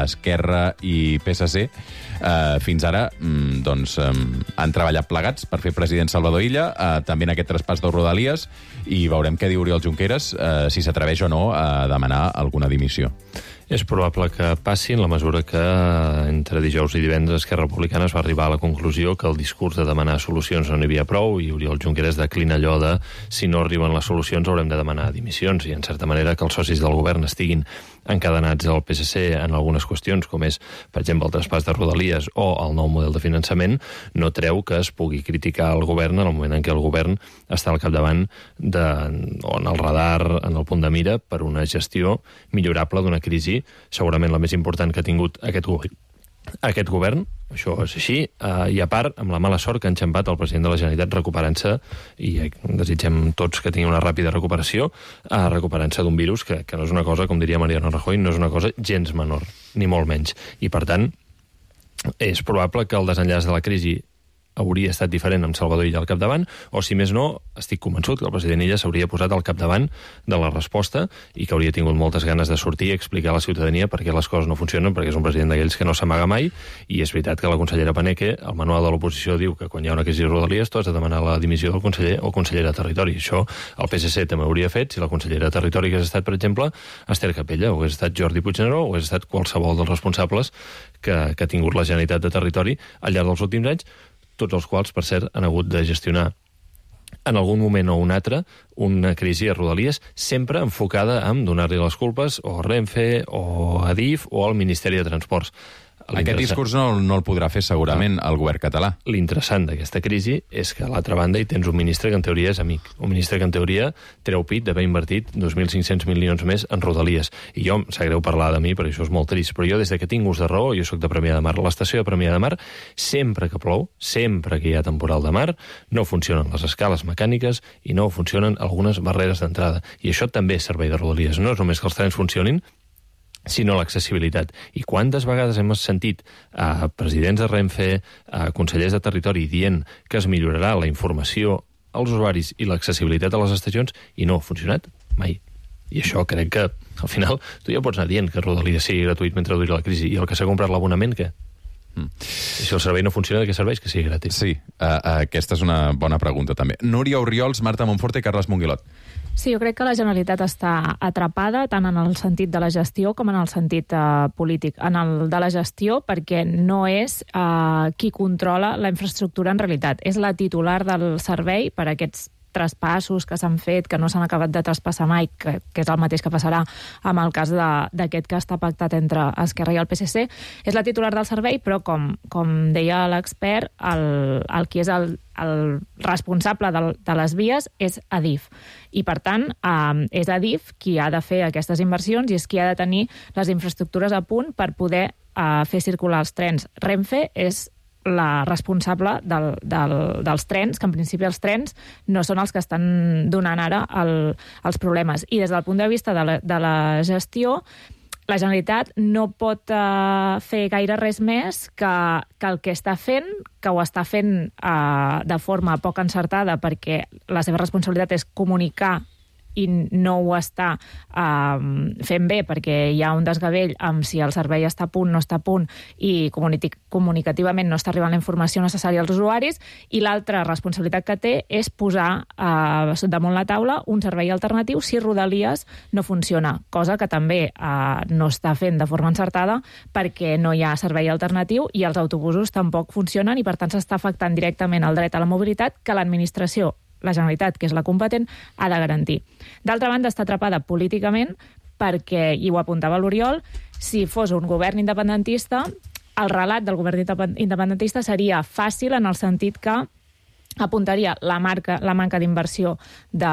Esquerra i P S C eh, fins ara mm, doncs, eh, han treballat plegats per fer president Salvador Illa, eh, també en aquest traspàs de Rodalies, i veurem què diu Oriol Junqueras, eh, si s'atreveix o no a demanar alguna dimissió. És probable que passi en la mesura que entre dijous i divendres Esquerra Republicana es va arribar a la conclusió que el discurs de demanar solucions no n'hi havia prou i Oriol Junqueras declina allò de si no arriben les solucions haurem de demanar dimissions i en certa manera que els socis del govern estiguin encadenats al P S C en algunes qüestions com és, per exemple, el traspàs de Rodalies o el nou model de finançament no treu que es pugui criticar el govern en el moment en què el govern està al capdavant de, o en el radar, en el punt de mira per una gestió millorable d'una crisi segurament la més important que ha tingut aquest govern. Aquest govern, això és així, eh, i a part, amb la mala sort que ha enxampat el president de la Generalitat recuperant-se, i eh, desitgem tots que tingui una ràpida recuperació, eh, recuperant-se d'un virus que, que no és una cosa, com diria Mariano Rajoy, no és una cosa gens menor, ni molt menys. I, per tant, és probable que el desenllaç de la crisi hauria estat diferent amb Salvador Illa al capdavant, o si més no, estic convençut que el president Illa s'hauria posat al capdavant de la resposta i que hauria tingut moltes ganes de sortir i explicar a la ciutadania per què les coses no funcionen, perquè és un president d'aquells que no s'amaga mai, i és veritat que la consellera Paneque, el manual de l'oposició diu que quan hi ha una crisi de Rodalies tu has de demanar la dimissió del conseller o consellera de Territori. Això el P S C també hauria fet si la consellera de Territori hagués estat, per exemple, Esther Capella, o hagués estat Jordi Puigneró, o hagués estat qualsevol dels responsables que, que ha tingut la Generalitat de Territori al llarg dels últims anys, tots els quals, per cert, han hagut de gestionar en algun moment o un altre, una crisi a Rodalies, sempre enfocada en donar-li les culpes o a Renfe, o a Adif, o al Ministeri de Transports. Aquest discurs no, no el podrà fer segurament el govern català. L'interessant d'aquesta crisi és que a l'altra banda hi tens un ministre que en teoria és amic, un ministre que en teoria treu pit d'haver invertit dos mil cinc-cents milions més en Rodalies. I jo, em sap greu parlar de mi, perquè això és molt trist, però jo des que tinc ús de raó, jo sóc de Premià de Mar, a l'estació de Premià de Mar, sempre que plou, sempre que hi ha temporal de mar, no funcionen les escales mecàniques i no funcionen algunes barreres d'entrada. I això també és servei de Rodalies. No és només que els trens funcionin, sinó l'accessibilitat. I quantes vegades hem sentit a presidents de Renfe, a consellers de territori, dient que es millorarà la informació als usuaris i l'accessibilitat a les estacions, i no ha funcionat mai. I això crec que, al final, tu ja pots anar dient que Rodalies sigui gratuït mentre duri la crisi, i el que s'ha comprat l'abonament, què? Mm. Si el servei no funciona, de què serveix que sigui gratis? Sí, uh, uh, aquesta és una bona pregunta, també. Núria Orriols, Marta Monforte i Carles Monguilot. Sí, jo crec que la Generalitat està atrapada tant en el sentit de la gestió com en el sentit uh, polític. En el de la gestió, perquè no és uh, qui controla la infraestructura en realitat. És la titular del servei per aquests traspassos que s'han fet, que no s'han acabat de traspassar mai, que, que és el mateix que passarà amb el cas d'aquest que està pactat entre Esquerra i el P S C. És la titular del servei, però com, com deia l'expert, el, el qui és el, el responsable de, de les vies és Adif. I, per tant, eh, és Adif qui ha de fer aquestes inversions i és qui ha de tenir les infraestructures a punt per poder eh, fer circular els trens. Renfe és la responsable del, del, dels trens, que en principi els trens no són els que estan donant ara el, els problemes. I des del punt de vista de la, de la gestió, la Generalitat no pot uh, fer gaire res més que, que el que està fent, que ho està fent uh, de forma poc encertada, perquè la seva responsabilitat és comunicar i no ho està uh, fent bé perquè hi ha un desgavell amb si el servei està a punt, no està a punt i comunicativament no està arribant la informació necessària als usuaris, i l'altra responsabilitat que té és posar uh, damunt la taula un servei alternatiu si Rodalies no funciona, cosa que també uh, no està fent de forma encertada perquè no hi ha servei alternatiu i els autobusos tampoc funcionen i per tant s'està afectant directament el dret a la mobilitat que l'administració, la Generalitat, que és la competent, ha de garantir. D'altra banda, està atrapada políticament perquè, i ho apuntava l'Oriol, si fos un govern independentista, el relat del govern independentista seria fàcil en el sentit que apuntaria la, marca, la manca d'inversió de,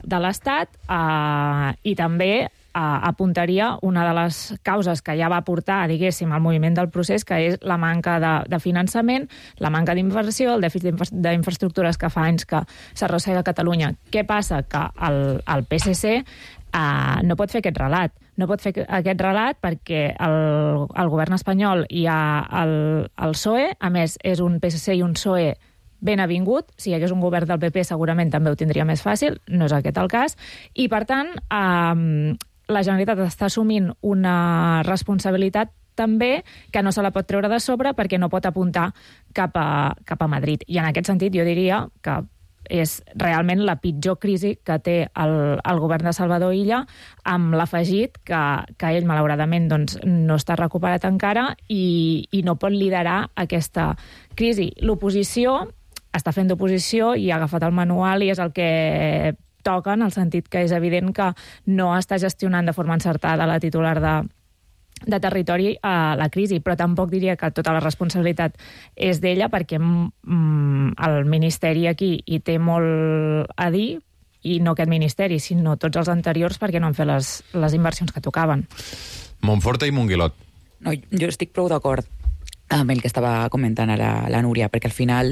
de l'Estat eh, i també eh, apuntaria una de les causes que ja va portar, diguéssim, al moviment del procés, que és la manca de, de finançament, la manca d'inversió, el dèficit d'infraestructures que fa anys que s'arrossega a Catalunya. Què passa? Que el, el P S C eh, no pot fer aquest relat. No pot fer aquest relat perquè el, el govern espanyol hi ha el, el P S O E, a més és un P S C i un P S O E ben avingut, si hi hagués un govern del P P segurament també ho tindria més fàcil, no és aquest el cas, i per tant eh, la Generalitat està assumint una responsabilitat també que no se la pot treure de sobre perquè no pot apuntar cap a, cap a Madrid. I en aquest sentit jo diria que és realment la pitjor crisi que té el, el govern de Salvador Illa, amb l'afegit que, que ell, malauradament, doncs, no està recuperat encara i, i no pot liderar aquesta crisi. L'oposició està fent d'oposició i ha agafat el manual i és el que toca, en el sentit que és evident que no està gestionant de forma encertada la titular de, de territori a la crisi, però tampoc diria que tota la responsabilitat és d'ella, perquè mm, el Ministeri aquí hi té molt a dir, i no aquest Ministeri, sinó tots els anteriors, perquè no han fet les, les inversions que tocaven. Monforte i Monguilot. No, jo estic prou d'acord amb el que estava comentant ara la Núria, perquè al final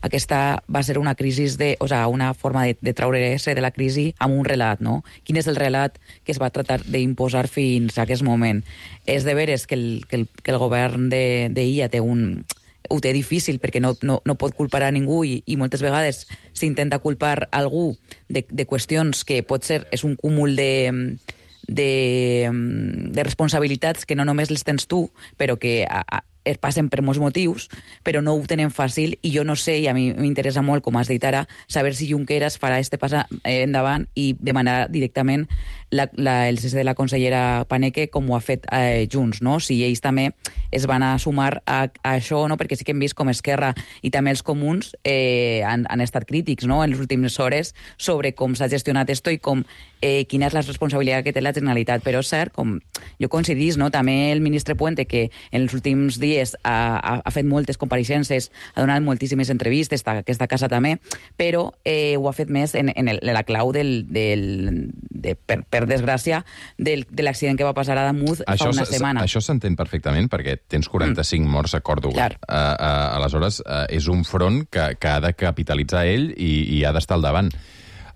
aquesta va ser una crisi de, o sea, una forma de, de treure-se de la crisi amb un relat, no? Quin és el relat que es va tratar d'imposar fins a aquest moment? És de veres que el, que el, que el govern d'Illa té un... ho té difícil perquè no, no, no pot culpar a ningú i, i moltes vegades s'intenta culpar algú de, de qüestions que pot ser, és un cúmul de... De, de responsabilitats que no només les tens tu, però que a, a, es passen per molts motius, però no ho tenen fàcil, i jo no sé, i a mi m'interessa molt, com has dit ara, saber si Junqueras farà este pas endavant i demanar directament la, la, el cese de la consellera Paneque, com ho ha fet eh, Junts, no? Si ells també es van a sumar a, a això, no? Perquè sí que hem vist com Esquerra i també els comuns eh, han, han estat crítics, no?, en les últimes hores sobre com s'ha gestionat esto i com eh, quina és la responsabilitat que té la Generalitat. Però és cert, com jo coincidís, no?, també el ministre Puente, que en els últims dies ha, ha, ha fet moltes compareixences, ha donat moltíssimes entrevistes, aquesta casa també, però eh, ho ha fet més en, en, el, en la clau del, del, de, per, per desgràcia, del, de l'accident que va passar a Damuz fa una setmana. Això s'entén perfectament, perquè tens quaranta-cinc mm. morts a Còrdova. Uh, uh, aleshores, uh, és un front que, que ha de capitalitzar ell i, i ha d'estar al davant.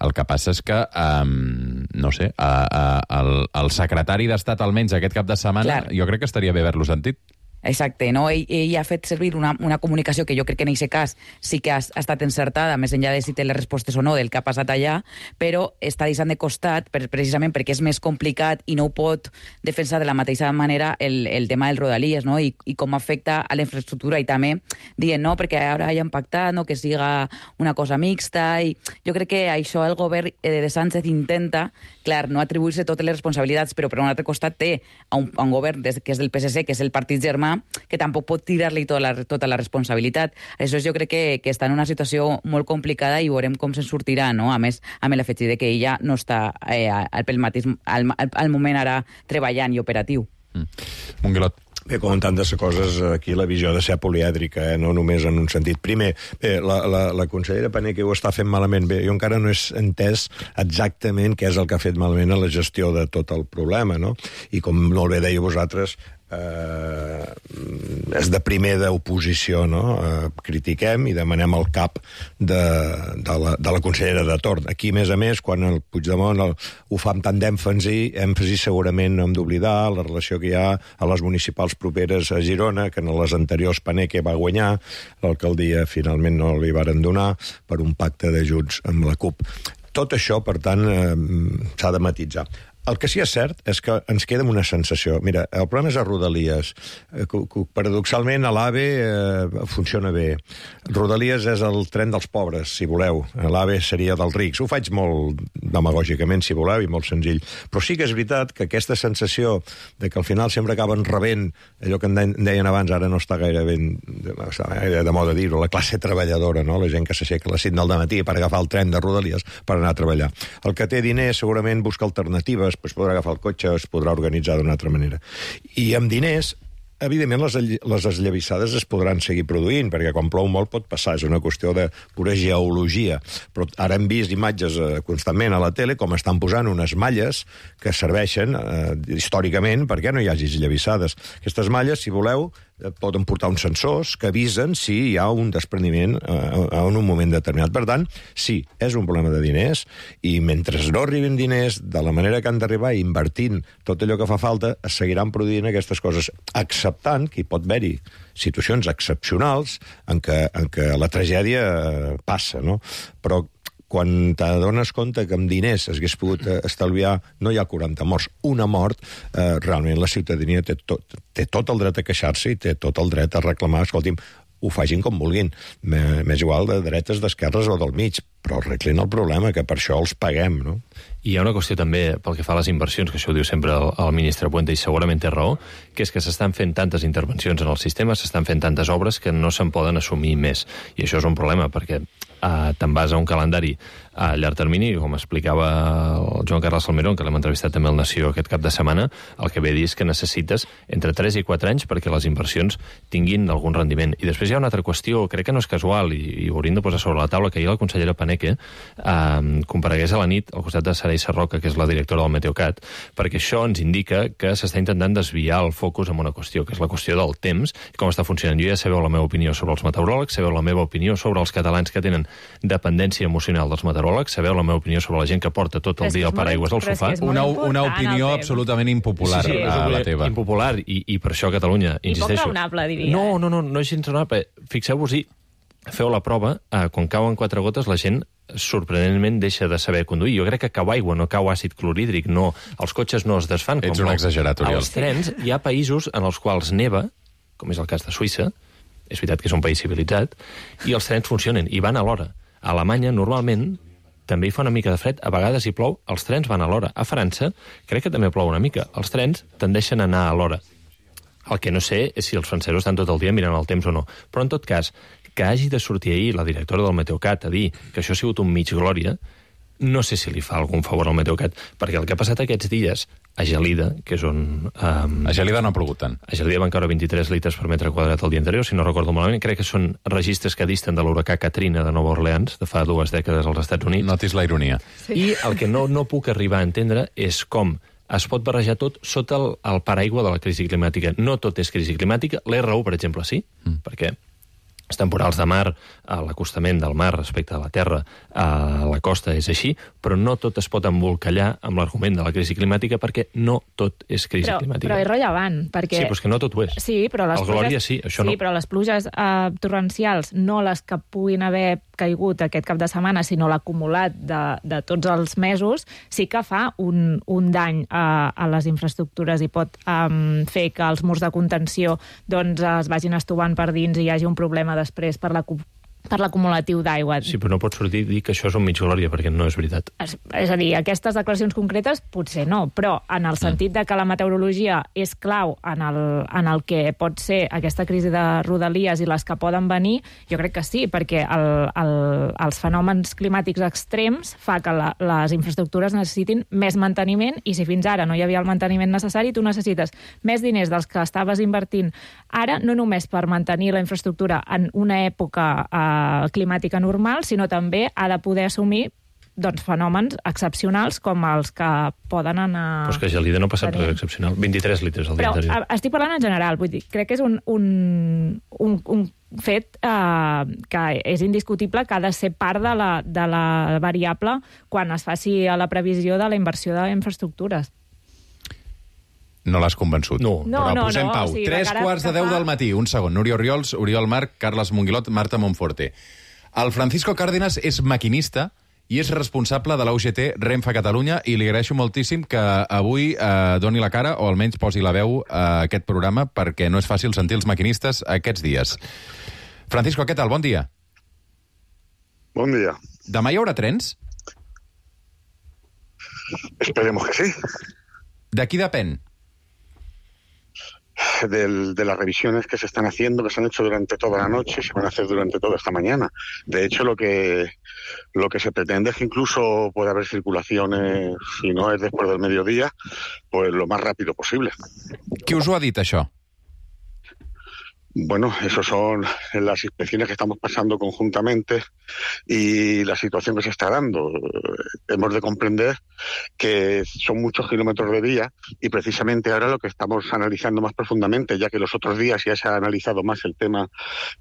El que passa és que, um, no sé, uh, uh, el, el secretari d'Estat, almenys aquest cap de setmana, Clar. jo crec que estaria bé haver-lo sentit. Exacte, no? Ell, ell ha fet servir una, una comunicació que jo crec que en aquest cas sí que ha, ha estat encertada, més enllà de si té les respostes o no del que ha passat allà, però està deixant de costat, per, precisament perquè és més complicat i no ho pot defensar de la mateixa manera el, el tema dels rodalies, no? I, i com afecta a la infraestructura, i també dient, no, perquè ara ja han pactat, no, que siga una cosa mixta, i jo crec que això el govern de Sánchez intenta, clar, no atribuir-se totes les responsabilitats, però per un altre costat té a un, a un govern des, que és del P S C, que és el partit germà, que tampoc pot tirar-li tota la, tota la responsabilitat. Això jo crec que, que està en una situació molt complicada i veurem com se'n sortirà, no? A més, amb l'afegit de que ella no està eh, al, mateix, al, al moment ara treballant i operatiu. Mm. Monguilot. Bé, com en tantes coses, aquí la visió ha de ser polièdrica, eh? No només en un sentit. Primer, bé, la, la, la consellera Paneque ho està fent malament. Bé, jo encara no he entès exactament què és el que ha fet malament a la gestió de tot el problema, no? I com molt bé deia vosaltres, eh, és de primer d'oposició, no? Eh, critiquem i demanem el cap de, de, la, de la consellera de torn. Aquí, a més a més, quan el Puigdemont el, ho fa amb tant d'èmfasi, èmfasi segurament no hem d'oblidar la relació que hi ha a les municipals properes a Girona, que en les anteriors Paneque va guanyar, l'alcaldia finalment no li varen donar per un pacte d'ajuts amb la CUP. Tot això, per tant, eh, s'ha de matitzar. El que sí és cert és que ens queda una sensació. Mira, el problema és a Rodalies. Paradoxalment, a l'AVE eh, funciona bé. Rodalies és el tren dels pobres, si voleu. L'AVE seria dels rics. Ho faig molt demagògicament, si voleu, i molt senzill. Però sí que és veritat que aquesta sensació de que al final sempre acaben rebent allò que en deien abans, ara no està gaire ben està gaire de moda dir-ho, la classe treballadora, no? La gent que s'aixeca a les set del matí per agafar el tren de Rodalies per anar a treballar. El que té diners segurament busca alternatives, es podrà agafar el cotxe, es podrà organitzar d'una altra manera. I amb diners, evidentment, les, les esllavissades es podran seguir produint, perquè quan plou molt pot passar, és una qüestió de pura geologia. Però ara hem vist imatges eh, constantment a la tele com estan posant unes malles que serveixen eh, històricament perquè no hi hagi esllavissades. Aquestes malles, si voleu, poden portar uns sensors que avisen si hi ha un despreniment eh, en un moment determinat. Per tant, sí, és un problema de diners, i mentre no arribin diners de la manera que han d'arribar, invertint tot allò que fa falta, es seguiran produint aquestes coses, acceptant que hi pot haver-hi situacions excepcionals en què, en què la tragèdia passa, no? Però quan t'adones compte que amb diners s'hagués pogut estalviar, no hi ha quaranta morts, una mort, eh, realment la ciutadania té tot, té tot el dret a queixar-se i té tot el dret a reclamar, escolti'm, ho facin com vulguin, m'és igual de dretes, d'esquerres o del mig, però arreglin el problema, que per això els paguem, no? I hi ha una qüestió també, pel que fa a les inversions, que això ho diu sempre el, el ministre Puente, i segurament té raó, que és que s'estan fent tantes intervencions en el sistema, s'estan fent tantes obres que no se'n poden assumir més. I això és un problema, perquè eh, te'n vas a un calendari a llarg termini, com explicava el Joan Carles Salmerón, que l'hem entrevistat també al Nació aquest cap de setmana, el que ve a dir és que necessites entre tres i quatre anys perquè les inversions tinguin algun rendiment. I després hi ha una altra qüestió, crec que no és casual, i, i ho hauríem de posar sobre la taula, que ahir la consellera Paneque eh, comparegués a la nit al costat de Saray Sarroca, que és la directora del Meteocat, perquè això ens indica que s'està intentant desviar el focus en una qüestió, que és la qüestió del temps i com està funcionant. Jo ja sabeu la meva opinió sobre els meteoròlegs, sabeu la meva opinió sobre els catalans que tenen dependència emocional dels meteoròlegs, sabeu la meva opinió sobre la gent que porta tot el dia el paraigües al sofà. Una, una opinió absolutament impopular, sí, sí, a la teva. Impopular, i, i per això a Catalunya, insisteixo... I poc raonable, diria. No, no, no, no és gens raonable. Fixeu-vos-hi, feu la prova, eh, quan cauen quatre gotes, la gent sorprenentment deixa de saber conduir. Jo crec que cau aigua, no cau àcid clorhídric, no, els cotxes no es desfan. Ets un exagerat, Oriol. Els trens, hi ha països en els quals neva, com és el cas de Suïssa, és veritat que és un país civilitzat, i els trens funcionen, i van a l'hora. A Alemanya, normalment, també hi fa una mica de fred, a vegades hi plou, els trens van a l'hora. A França, crec que també plou una mica. Els trens tendeixen a anar a l'hora. El que no sé és si els francesos estan tot el dia mirant el temps o no. Però, en tot cas, que hagi de sortir ahir la directora del Meteocat a dir que això ha sigut un mig glòria, no sé si li fa algun favor al Meteocat, perquè el que ha passat aquests dies a Gelida, que és on... Um, a Gelida no ha plogut tant. A Gelida van caure vint-i-tres litres per metre quadrat el dia anterior, si no recordo malament. Crec que són registres que disten de l'huracà Katrina de Nova Orleans, de fa dues dècades als Estats Units. Notis la ironia. Sí. I el que no, no puc arribar a entendre és com es pot barrejar tot sota el, el paraigua de la crisi climàtica. No tot és crisi climàtica. L'R u, per exemple, sí, mm. perquè els temporals de mar, l'acostament del mar respecte a la terra, a la costa és així, però no tot es pot embolcallar amb l'argument de la crisi climàtica perquè no tot és crisi però, climàtica. Però és rellevant, perquè... Sí, però és que no tot ho és. Sí, però les el pluges... Glòria sí, això sí, no. Sí, però les pluges eh, torrencials, no les que puguin haver caigut aquest cap de setmana, sinó l'acumulat de, de tots els mesos, sí que fa un, un dany a, a les infraestructures i pot um, fer que els murs de contenció doncs, es vagin estovant per dins i hi hagi un problema després per la per l'acumulatiu d'aigua. Sí, però no pots sortir i dir que això és un mig glòria, perquè no és veritat. És, és a dir, aquestes declaracions concretes potser no, però en el sentit de que la meteorologia és clau en el, en el que pot ser aquesta crisi de Rodalies i les que poden venir, jo crec que sí, perquè el, el, els fenòmens climàtics extrems fa que la, les infraestructures necessitin més manteniment, i si fins ara no hi havia el manteniment necessari, tu necessites més diners dels que estaves invertint ara, no només per mantenir la infraestructura en una època eh, climàtica normal, sinó també ha de poder assumir doncs, fenòmens excepcionals com els que poden anar... Però és que Gelida no passa res excepcional. vint-i-tres litres al dia Però anterior. Estic parlant en general, vull dir, crec que és un, un, un, un fet eh, que és indiscutible, que ha de ser part de la, de la variable quan es faci la previsió de la inversió d'infraestructures. No l'has convençut. No, no, però no, posem no, pau. O sigui, Tres quarts de deu fa... del matí. Un segon. Núria Oriols, Oriol Marc, Carles Monguilot, Marta Monforte. El Francisco Cárdenas és maquinista i és responsable de la U G T Renfe Catalunya, i li agraeixo moltíssim que avui eh, doni la cara, o almenys posi la veu a aquest programa, perquè no és fàcil sentir els maquinistes aquests dies. Francisco, què tal? Bon dia. Bon dia. Demà hi haurà trens? Esperemos que sí. De qui depèn? Del, de las revisiones que se están haciendo, que se han hecho durante toda la noche y se van a hacer durante toda esta mañana. De hecho, lo que lo que se pretende es que incluso pueda haber circulaciones, si no es después del mediodía, pues lo más rápido posible. Qui us ho ha dit, això? Bueno, eso son las inspecciones que estamos pasando conjuntamente y la situación que se está dando. Hemos de comprender que son muchos kilómetros de vía y precisamente ahora lo que estamos analizando más profundamente, ya que los otros días ya se ha analizado más el tema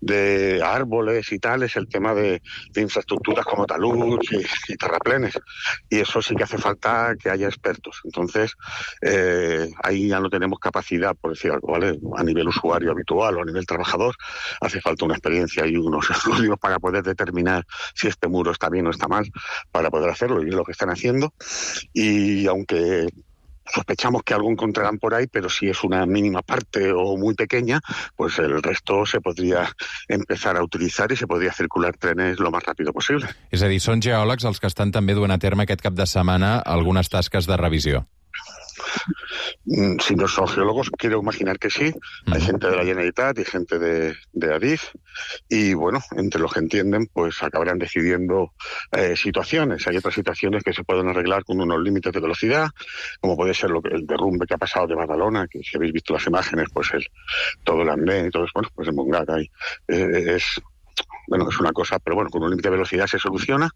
de árboles y tal, es el tema de, de infraestructuras como taluds y, y terraplenes. Y eso sí que hace falta que haya expertos. Entonces, eh, ahí ya no tenemos capacidad, por decir algo, ¿vale? A nivel usuario habitual o a nivel trabajador, hace falta una experiencia y unos estudios para poder determinar si este muro está bien o está mal, para poder hacerlo, y es lo que están haciendo. Y aunque sospechamos que algo encontrarán por ahí, pero si es una mínima parte o muy pequeña, pues el resto se podría empezar a utilizar y se podría circular trenes lo más rápido posible. És a dir, són geòlegs els que estan també duent a terme aquest cap de setmana algunes tasques de revisió. Si no son geólogos, quiero imaginar que sí. Hay gente de la Generalitat y gente de, de Adif, y bueno, entre los que entienden, pues acabarán decidiendo eh, situaciones. Hay otras situaciones que se pueden arreglar con unos límites de velocidad, como puede ser lo que, el derrumbe que ha pasado de Badalona, que si habéis visto las imágenes, pues el, todo el andén y todo eso, bueno, pues en Montgat hay, eh, es... Bueno, es una cosa, pero bueno, con un límite de velocidad se soluciona.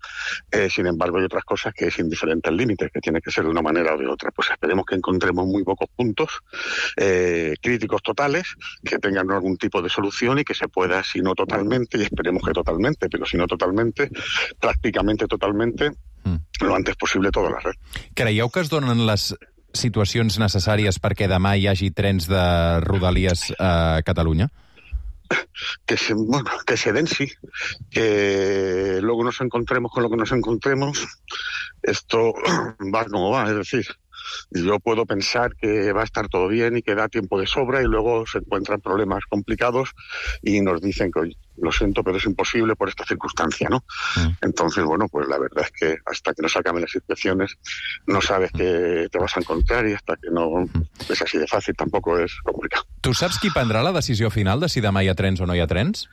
Eh, sin embargo, hay otras cosas que es indiferente al límite, que tiene que ser de una manera o de otra. Pues esperemos que encontremos muy pocos puntos eh, críticos totales, que tengan algún tipo de solución y que se pueda, si no totalmente, y esperemos que totalmente, pero si no totalmente, prácticamente totalmente, mm. lo antes posible toda la red. Creieu que es donen les situacions necessàries perquè demà hi hagi trens de Rodalies a Catalunya? Que se, bueno, que se den, sí. Que luego nos encontremos con lo que nos encontremos. Esto va como va, es decir, yo puedo pensar que va a estar todo bien y que da tiempo de sobra y luego se encuentran problemas complicados y nos dicen que, oye, lo siento, pero es imposible por esta circunstancia, ¿no? Mm. Entonces, bueno, pues la verdad es que hasta que no se acaben las inspecciones no sabes qué te vas a encontrar y hasta que no és així de fàcil tampoc és complicat. Tu saps qui prendrà la decisió final de si demà hi ha trens o no hi ha trens?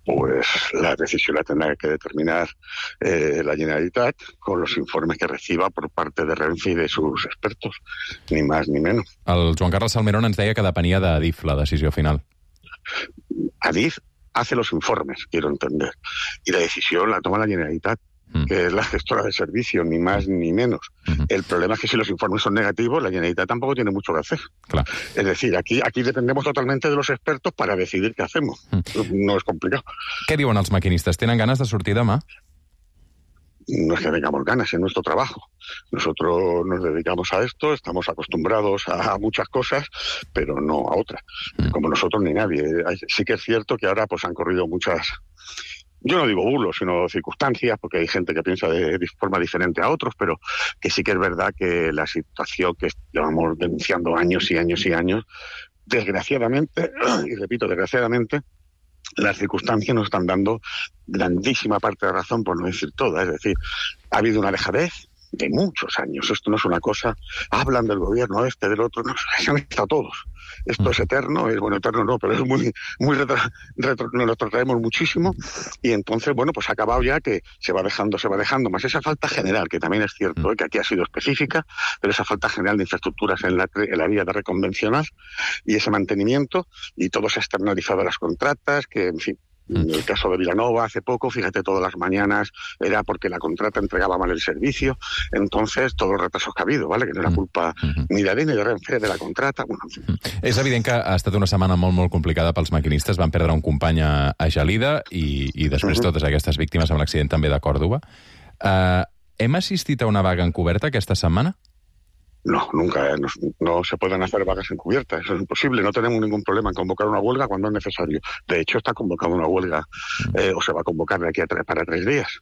Pues la decisión la tendrá que determinar eh, la Generalitat con los informes que reciba por parte de Renfe y de sus expertos, ni más ni menos. El Joan Carles Salmerón ens deia que depenia d'Adif la decisió final. Adif hace los informes, quiero entender, y la decisión la toma la Generalitat, mm. que es la gestora del servicio, ni más ni menos. Mm-hmm. El problema es que si los informes son negativos, la Generalitat tampoco tiene mucho que hacer. Clar. Es decir, aquí, aquí dependemos totalmente de los expertos para decidir qué hacemos. Mm. No es complicado. Què diuen els maquinistes? Tenen ganes de sortir demà? No es que tengamos ganas, es nuestro trabajo. Nosotros nos dedicamos a esto, estamos acostumbrados a muchas cosas, pero no a otras. Como nosotros ni nadie. Sí que es cierto que ahora pues han corrido muchas, yo no digo bulos, sino circunstancias, porque hay gente que piensa de, de forma diferente a otros, pero que sí que es verdad que la situación que llevamos denunciando años y años y años, desgraciadamente, y repito, desgraciadamente, las circunstancias nos están dando grandísima parte de razón, por no decir toda. Es decir, ha habido una dejadez de muchos años. Esto no es una cosa, hablan del gobierno este, del otro, no, se han estado todos. Esto es eterno, es bueno, eterno no, pero es muy, muy retra, retro, nos lo traemos muchísimo y entonces, bueno, pues ha acabado ya que se va dejando, se va dejando, más esa falta general, que también es cierto, ¿eh? Que aquí ha sido específica, pero esa falta general de infraestructuras en la, en la vía de reconvencional y ese mantenimiento y todo se ha externalizado a las contratas, que, en fin, en el caso de Vilanova, hace poco, fíjate, todas las mañanas era porque la contrata entregaba mal el servicio. Entonces, todos los retrasos que ha habido, ¿vale? Que no era culpa ni de Adif ni de Renfe, de la contrata. Bueno, en fin. És evident que ha estat una setmana molt, molt complicada pels maquinistes. Van perdre un company a, a Gelida i, i després uh-huh. totes aquestes víctimes amb l'accident també de Còrdova. Uh, hem assistit a una vaga encoberta aquesta setmana? No, nunca. Eh, no, no se pueden hacer vagas encubiertas. Eso es imposible. No tenemos ningún problema en convocar una huelga cuando es necesario. De hecho, está convocada una huelga, eh, o se va a convocar de aquí a tres, para tres días,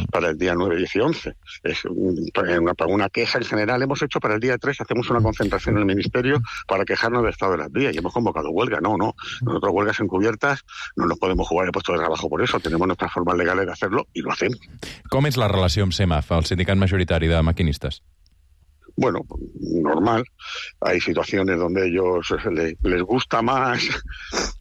para el día nueve, diez y once. Es una, una queja en general hemos hecho para el día tres. Hacemos una concentración en el Ministerio para quejarnos del estado de las vías y hemos convocado huelga. No, no. Nosotros huelgas encubiertas no nos podemos jugar el puesto de trabajo por eso. Tenemos nuestras formas legales de hacerlo y lo hacemos. Com és la relació amb SEMAF, el sindicat majoritari de maquinistes? Bueno, normal. Hay situaciones donde a ellos les, les gusta más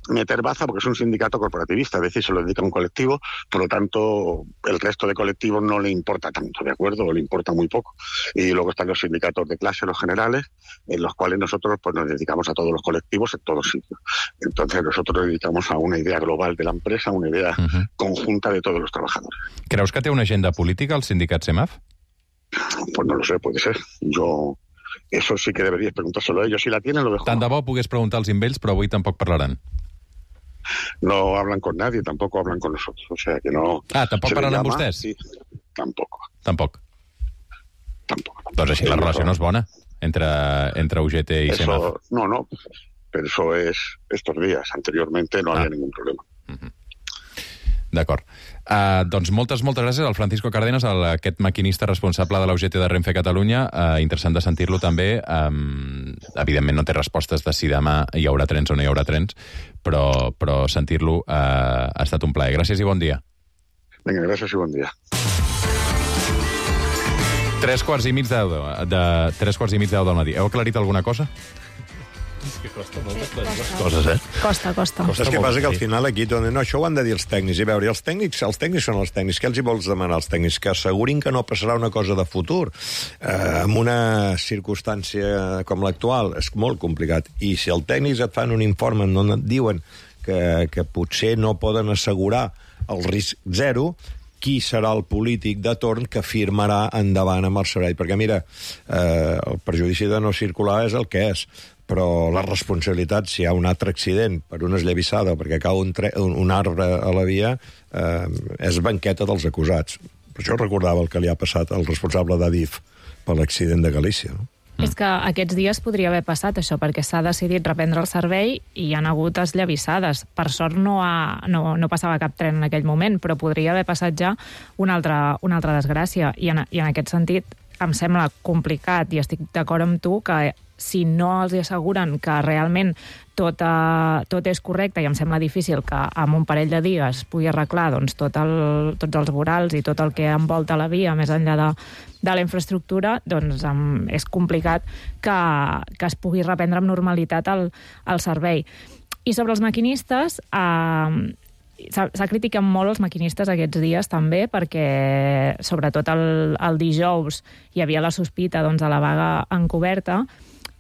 meter baza porque es un sindicato corporativista, es decir, se lo dedica a un colectivo, por lo tanto, el resto de colectivos no le importa tanto, ¿de acuerdo? O le importa muy poco. Y luego están los sindicatos de clase, los generales, en los cuales nosotros pues nos dedicamos a todos los colectivos en todos sitios. Entonces, nosotros nos dedicamos a una idea global de la empresa, una idea uh-huh. conjunta de todos los trabajadores. Creus que té una agenda política el sindicat SEMAF? Pues no lo sé, puede ser. Yo... Eso sí que deberías preguntárselo a ellos. Si la tienen, lo dejo. Tant de bo pogués preguntar als invells, però avui tampoc parlaran. No hablan con nadie, tampoco hablan con nosotros. O sea que no... Ah, tampoc parlaran amb vostès? Sí, tampoc. Tampoc? Tampoc. Doncs així la relació no és bona entre, entre U G T i eso, SEMAF. No, no, pero eso es estos días. Anteriormente no ah. había ningún problema. Uh-huh. D'acord. Uh, doncs moltes, moltes gràcies al Francisco Cárdenas, el, aquest maquinista responsable de la U G T de Renfe Catalunya. Uh, interessant de sentir-lo també. Um, evidentment no té respostes de si demà hi haurà trens o no hi haurà trens, però, però sentir-lo uh, ha estat un plaer. Gràcies i bon dia. Vinga, gràcies i bon dia. Tres quarts i mig deu, de, tres quarts i mig deu del matí. Heu aclarit alguna cosa? És que costa molt aclarir les coses, eh? Costa, costa. costa Saps què passa? Que al final aquí no, això ho han de dir els tècnics. I veure, els tècnics, els tècnics són els tècnics. Què els hi vols demanar als tècnics? Que assegurin que no passarà una cosa de futur. Eh, en una circumstància com l'actual és molt complicat. I si els tècnics et fan un informe on et diuen que, que potser no poden assegurar el risc zero, qui serà el polític de torn que firmarà endavant amb el servei? Perquè, mira, eh, el perjudici de no circular és el que és, però la responsabilitat, si hi ha un altre accident per una esllavissada o perquè cau un, tre un, un arbre a la via, eh, és banqueta dels acusats. Per això recordava el que li ha passat al responsable d'Adif per l'accident de Galícia, no? Mm. És que aquests dies podria haver passat això, perquè s'ha decidit reprendre el servei i hi ha hagut esllavissades. Per sort no, ha, no, no passava cap tren en aquell moment, però podria haver passat ja una altra, una altra desgràcia. I en, i en aquest sentit, em sembla complicat, i estic d'acord amb tu, que si no els asseguren que realment tot, uh, tot és correcte, i em sembla difícil que amb un parell de dies pugui arreglar doncs, tot el, tots els vorals i tot el que envolta la via més enllà de, de la infraestructura, doncs um, és complicat que, que es pugui reprendre amb normalitat el, el servei. I sobre els maquinistes, eh, s'ha criticat molt els maquinistes aquests dies també, perquè sobretot el, el dijous hi havia la sospita doncs, de la vaga encoberta.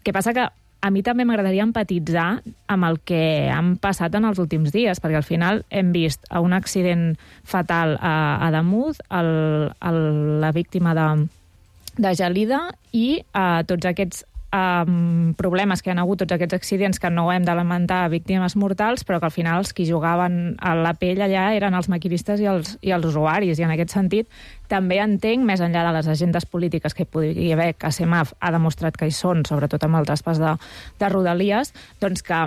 Que passa que a mi també m'agradaria empatitzar amb el que han passat en els últims dies, perquè al final hem vist un accident fatal a, a Damunt, el, el, la víctima de, de Gelida, i a tots aquests Um, problemes que hi ha hagut, tots aquests accidents que no hem de lamentar víctimes mortals, però que al final els que jugaven a la pell allà eren els maquinistes i els, i els usuaris, i en aquest sentit també entenc, més enllà de les agendes polítiques que hi podria haver, que C E M A F ha demostrat que hi són, sobretot amb el traspàs de, de Rodalies, doncs que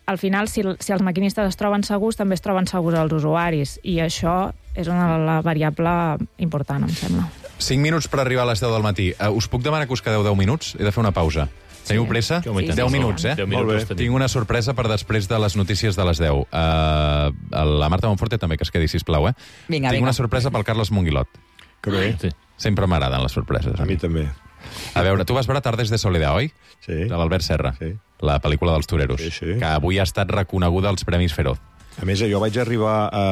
al final, si, si els maquinistes es troben segurs, també es troben segurs els usuaris, i això és una la variable important, em sembla. cinc minuts per arribar a les deu del matí. Uh, us puc demanar que us quedeu deu minuts? He de fer una pausa. Sí. Teniu pressa? Sí, sí, deu sí, minuts, eh? deu minuts. Tinc una sorpresa per després de les notícies de les deu. Uh, la Marta Monforte també, que es quedi, sisplau, eh? Vinga, Tinc vinga. una sorpresa pel Carles Monguilot. Que bé. Sí. Sempre m'agraden les sorpreses. A mi també. A veure, tu vas veure Tardes de Soledad, oi? Sí. De l'Albert Serra. Sí. La pel·lícula dels toreros. Sí, sí. Que avui ha estat reconeguda als Premis Feroz. A més, jo vaig arribar a...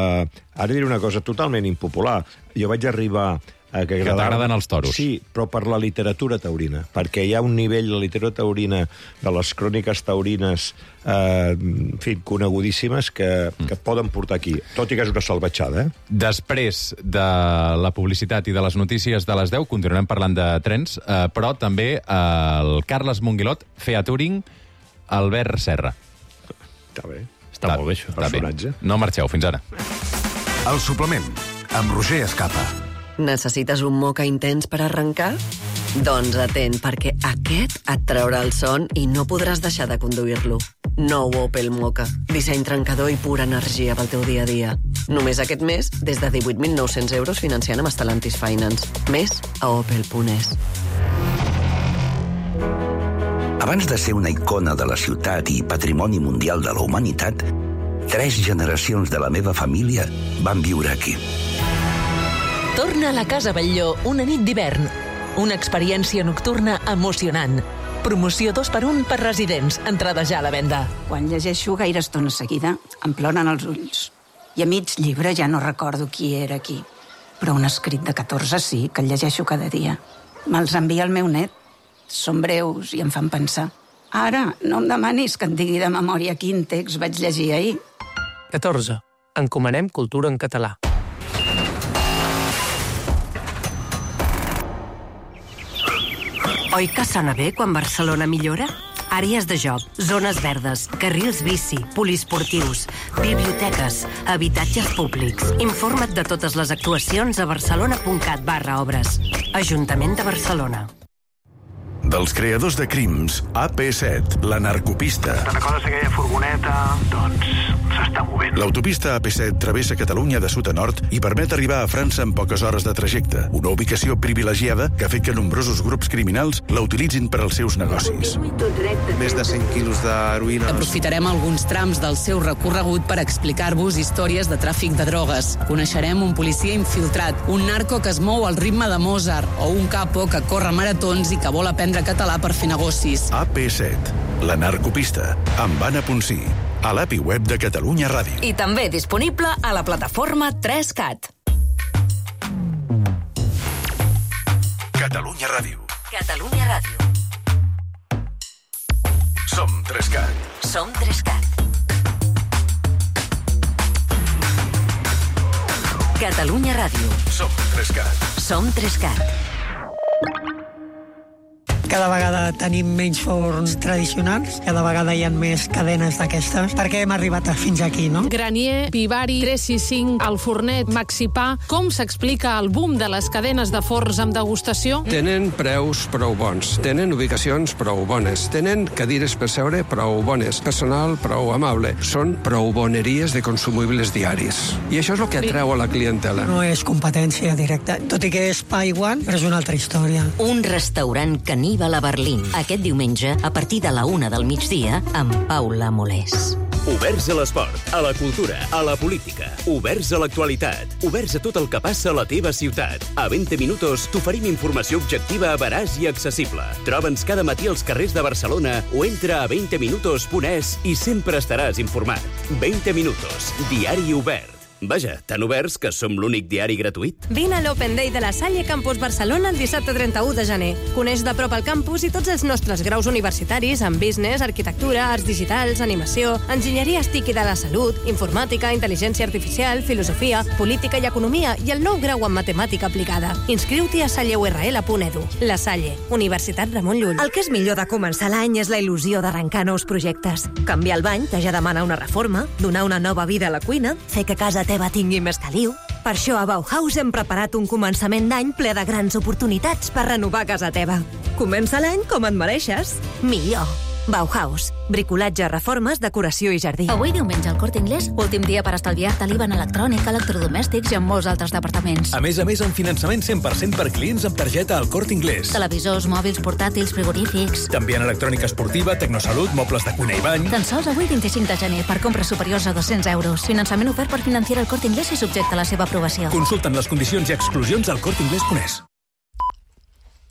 Ara diré una cosa totalment impopular. Jo vaig arribar a que, que t'agraden els toros. Sí, però per la literatura taurina, perquè hi ha un nivell de literatura taurina, de les cròniques taurines, eh, en fi, conegudíssimes, que, mm. que et poden portar aquí, tot i que és una salvatjada, eh? Després de la publicitat i de les notícies de les deu, continuarem parlant de trens, eh, però també eh, el Carles Monguilot, featuring Albert Serra. Està bé. Està molt bé, això. Personatge. No marxeu, fins ara. El suplement, amb Roger Escapa. Necessites un moca intens per arrencar? Doncs atent, perquè aquest et traurà el son i no podràs deixar de conduir-lo. Nou Opel Moka. Disseny trencador i pura energia pel teu dia a dia. Només aquest mes, des de divuit mil nou-cents euros financiant amb Stellantis Finance. Més a opel punt es. Abans de ser una icona de la ciutat i patrimoni mundial de la humanitat, tres generacions de la meva família van viure aquí. Torna a la Casa Batlló una nit d'hivern. Una experiència nocturna emocionant. Promoció dos per un per residents. Entrada ja a la venda. Quan llegeixo gaire estona seguida, em ploren els ulls. I a mig llibre ja no recordo qui era qui. Però un escrit de catorze sí, que el llegeixo cada dia. Me'ls envia el meu net. Són breus i em fan pensar. Ara, no em demanis que et digui de memòria quin text vaig llegir ahir. catorze. Encomanem cultura en català. Oi que sona bé quan Barcelona millora? Àrees de joc, zones verdes, carrils bici, poliesportius, biblioteques, habitatges públics. Informa't de totes les actuacions a barcelona.cat barra obres. Ajuntament de Barcelona. Dels creadors de crims, A P set, la narcopista. Te'n recordes aquella furgoneta? Doncs s'està movent. L'autopista A P set travessa Catalunya de sud a nord i permet arribar a França en poques hores de trajecte. Una ubicació privilegiada que ha fet que nombrosos grups criminals la utilitzin per als seus negocis. Més de cent quilos d'heroïna. Aprofitarem alguns trams del seu recorregut per explicar-vos històries de tràfic de drogues. Coneixerem un policia infiltrat, un narco que es mou al ritme de Mozart o un capo que corre maratons i que vol aprendre català per fer negocis. A P set, la narcopista, amb Anna Ponsí, a l'A P I web de Catalunya Ràdio. I també disponible a la plataforma tres cat. Catalunya Ràdio. Catalunya Ràdio. Som tres cat. Som tres cat. Catalunya Ràdio. Som tres cat. Som tres cat. Cada vegada tenim menys forns tradicionals, cada vegada hi ha més cadenes d'aquestes, perquè hem arribat fins aquí, no? Granier, Vivari, tres sis cinc, El Fornet, Maxipà... Com s'explica el boom de les cadenes de forns amb degustació? Tenen preus prou bons, tenen ubicacions prou bones, tenen cadires per seure prou bones, personal prou amable. Són prou boneries de consumibles diaris. I això és el que atreu a la clientela. No és competència directa, tot i que és pa i guant, però és una altra història. Un restaurant caníbal a Berlín. Aquest diumenge, a partir de la una del migdia, amb Paula Molés. Oberts a l'esport, a la cultura, a la política. Oberts a l'actualitat. Oberts a tot el que passa a la teva ciutat. A vint minuts t'oferim informació objectiva, veraç i accessible. Troba'ns cada matí als carrers de Barcelona o entra a vint minuts punt es i sempre estaràs informat. vint minuts, diari obert. Vaja, tan oberts que som l'únic diari gratuït. Vine a l'Open Day de la Salle Campus Barcelona el dissabte trenta-u de gener. Coneix de prop el campus i tots els nostres graus universitaris en business, arquitectura, arts digitals, animació, enginyeria TIC i de la salut, informàtica, intel·ligència artificial, filosofia, política i economia i el nou grau en matemàtica aplicada. Inscriu-t'hi a salle u erra ele punt edu. La Salle, Universitat Ramon Llull. El que és millor de començar l'any és la il·lusió d'arrencar nous projectes. Canviar el bany, que ja demana una reforma, donar una nova vida a la cuina, fer que casa teva tingui més caliu. Per això a Bauhaus hem preparat un començament d'any ple de grans oportunitats per renovar casa teva. Comença l'any com et mereixes. Millor. Bauhaus. Bricolatge, reformes, decoració i jardí. Avui diumenge al Corte Inglés, últim dia per estalviar-te l'I V A en electrònic, electrodomèstics i en molts altres departaments. A més a més, amb finançament cent per cent per clients amb targeta al Corte Inglés. Televisors, mòbils, portàtils, frigorífics... També en electrònica esportiva, tecnosalut, mobles de cuina i bany... Tan sols avui vint-i-cinc de gener per compres superiors a dos-cents euros. Finançament ofert per Financiera al Corte Inglés i subjecte a la seva aprovació. Consulten les condicions i exclusions al corte inglés punt es.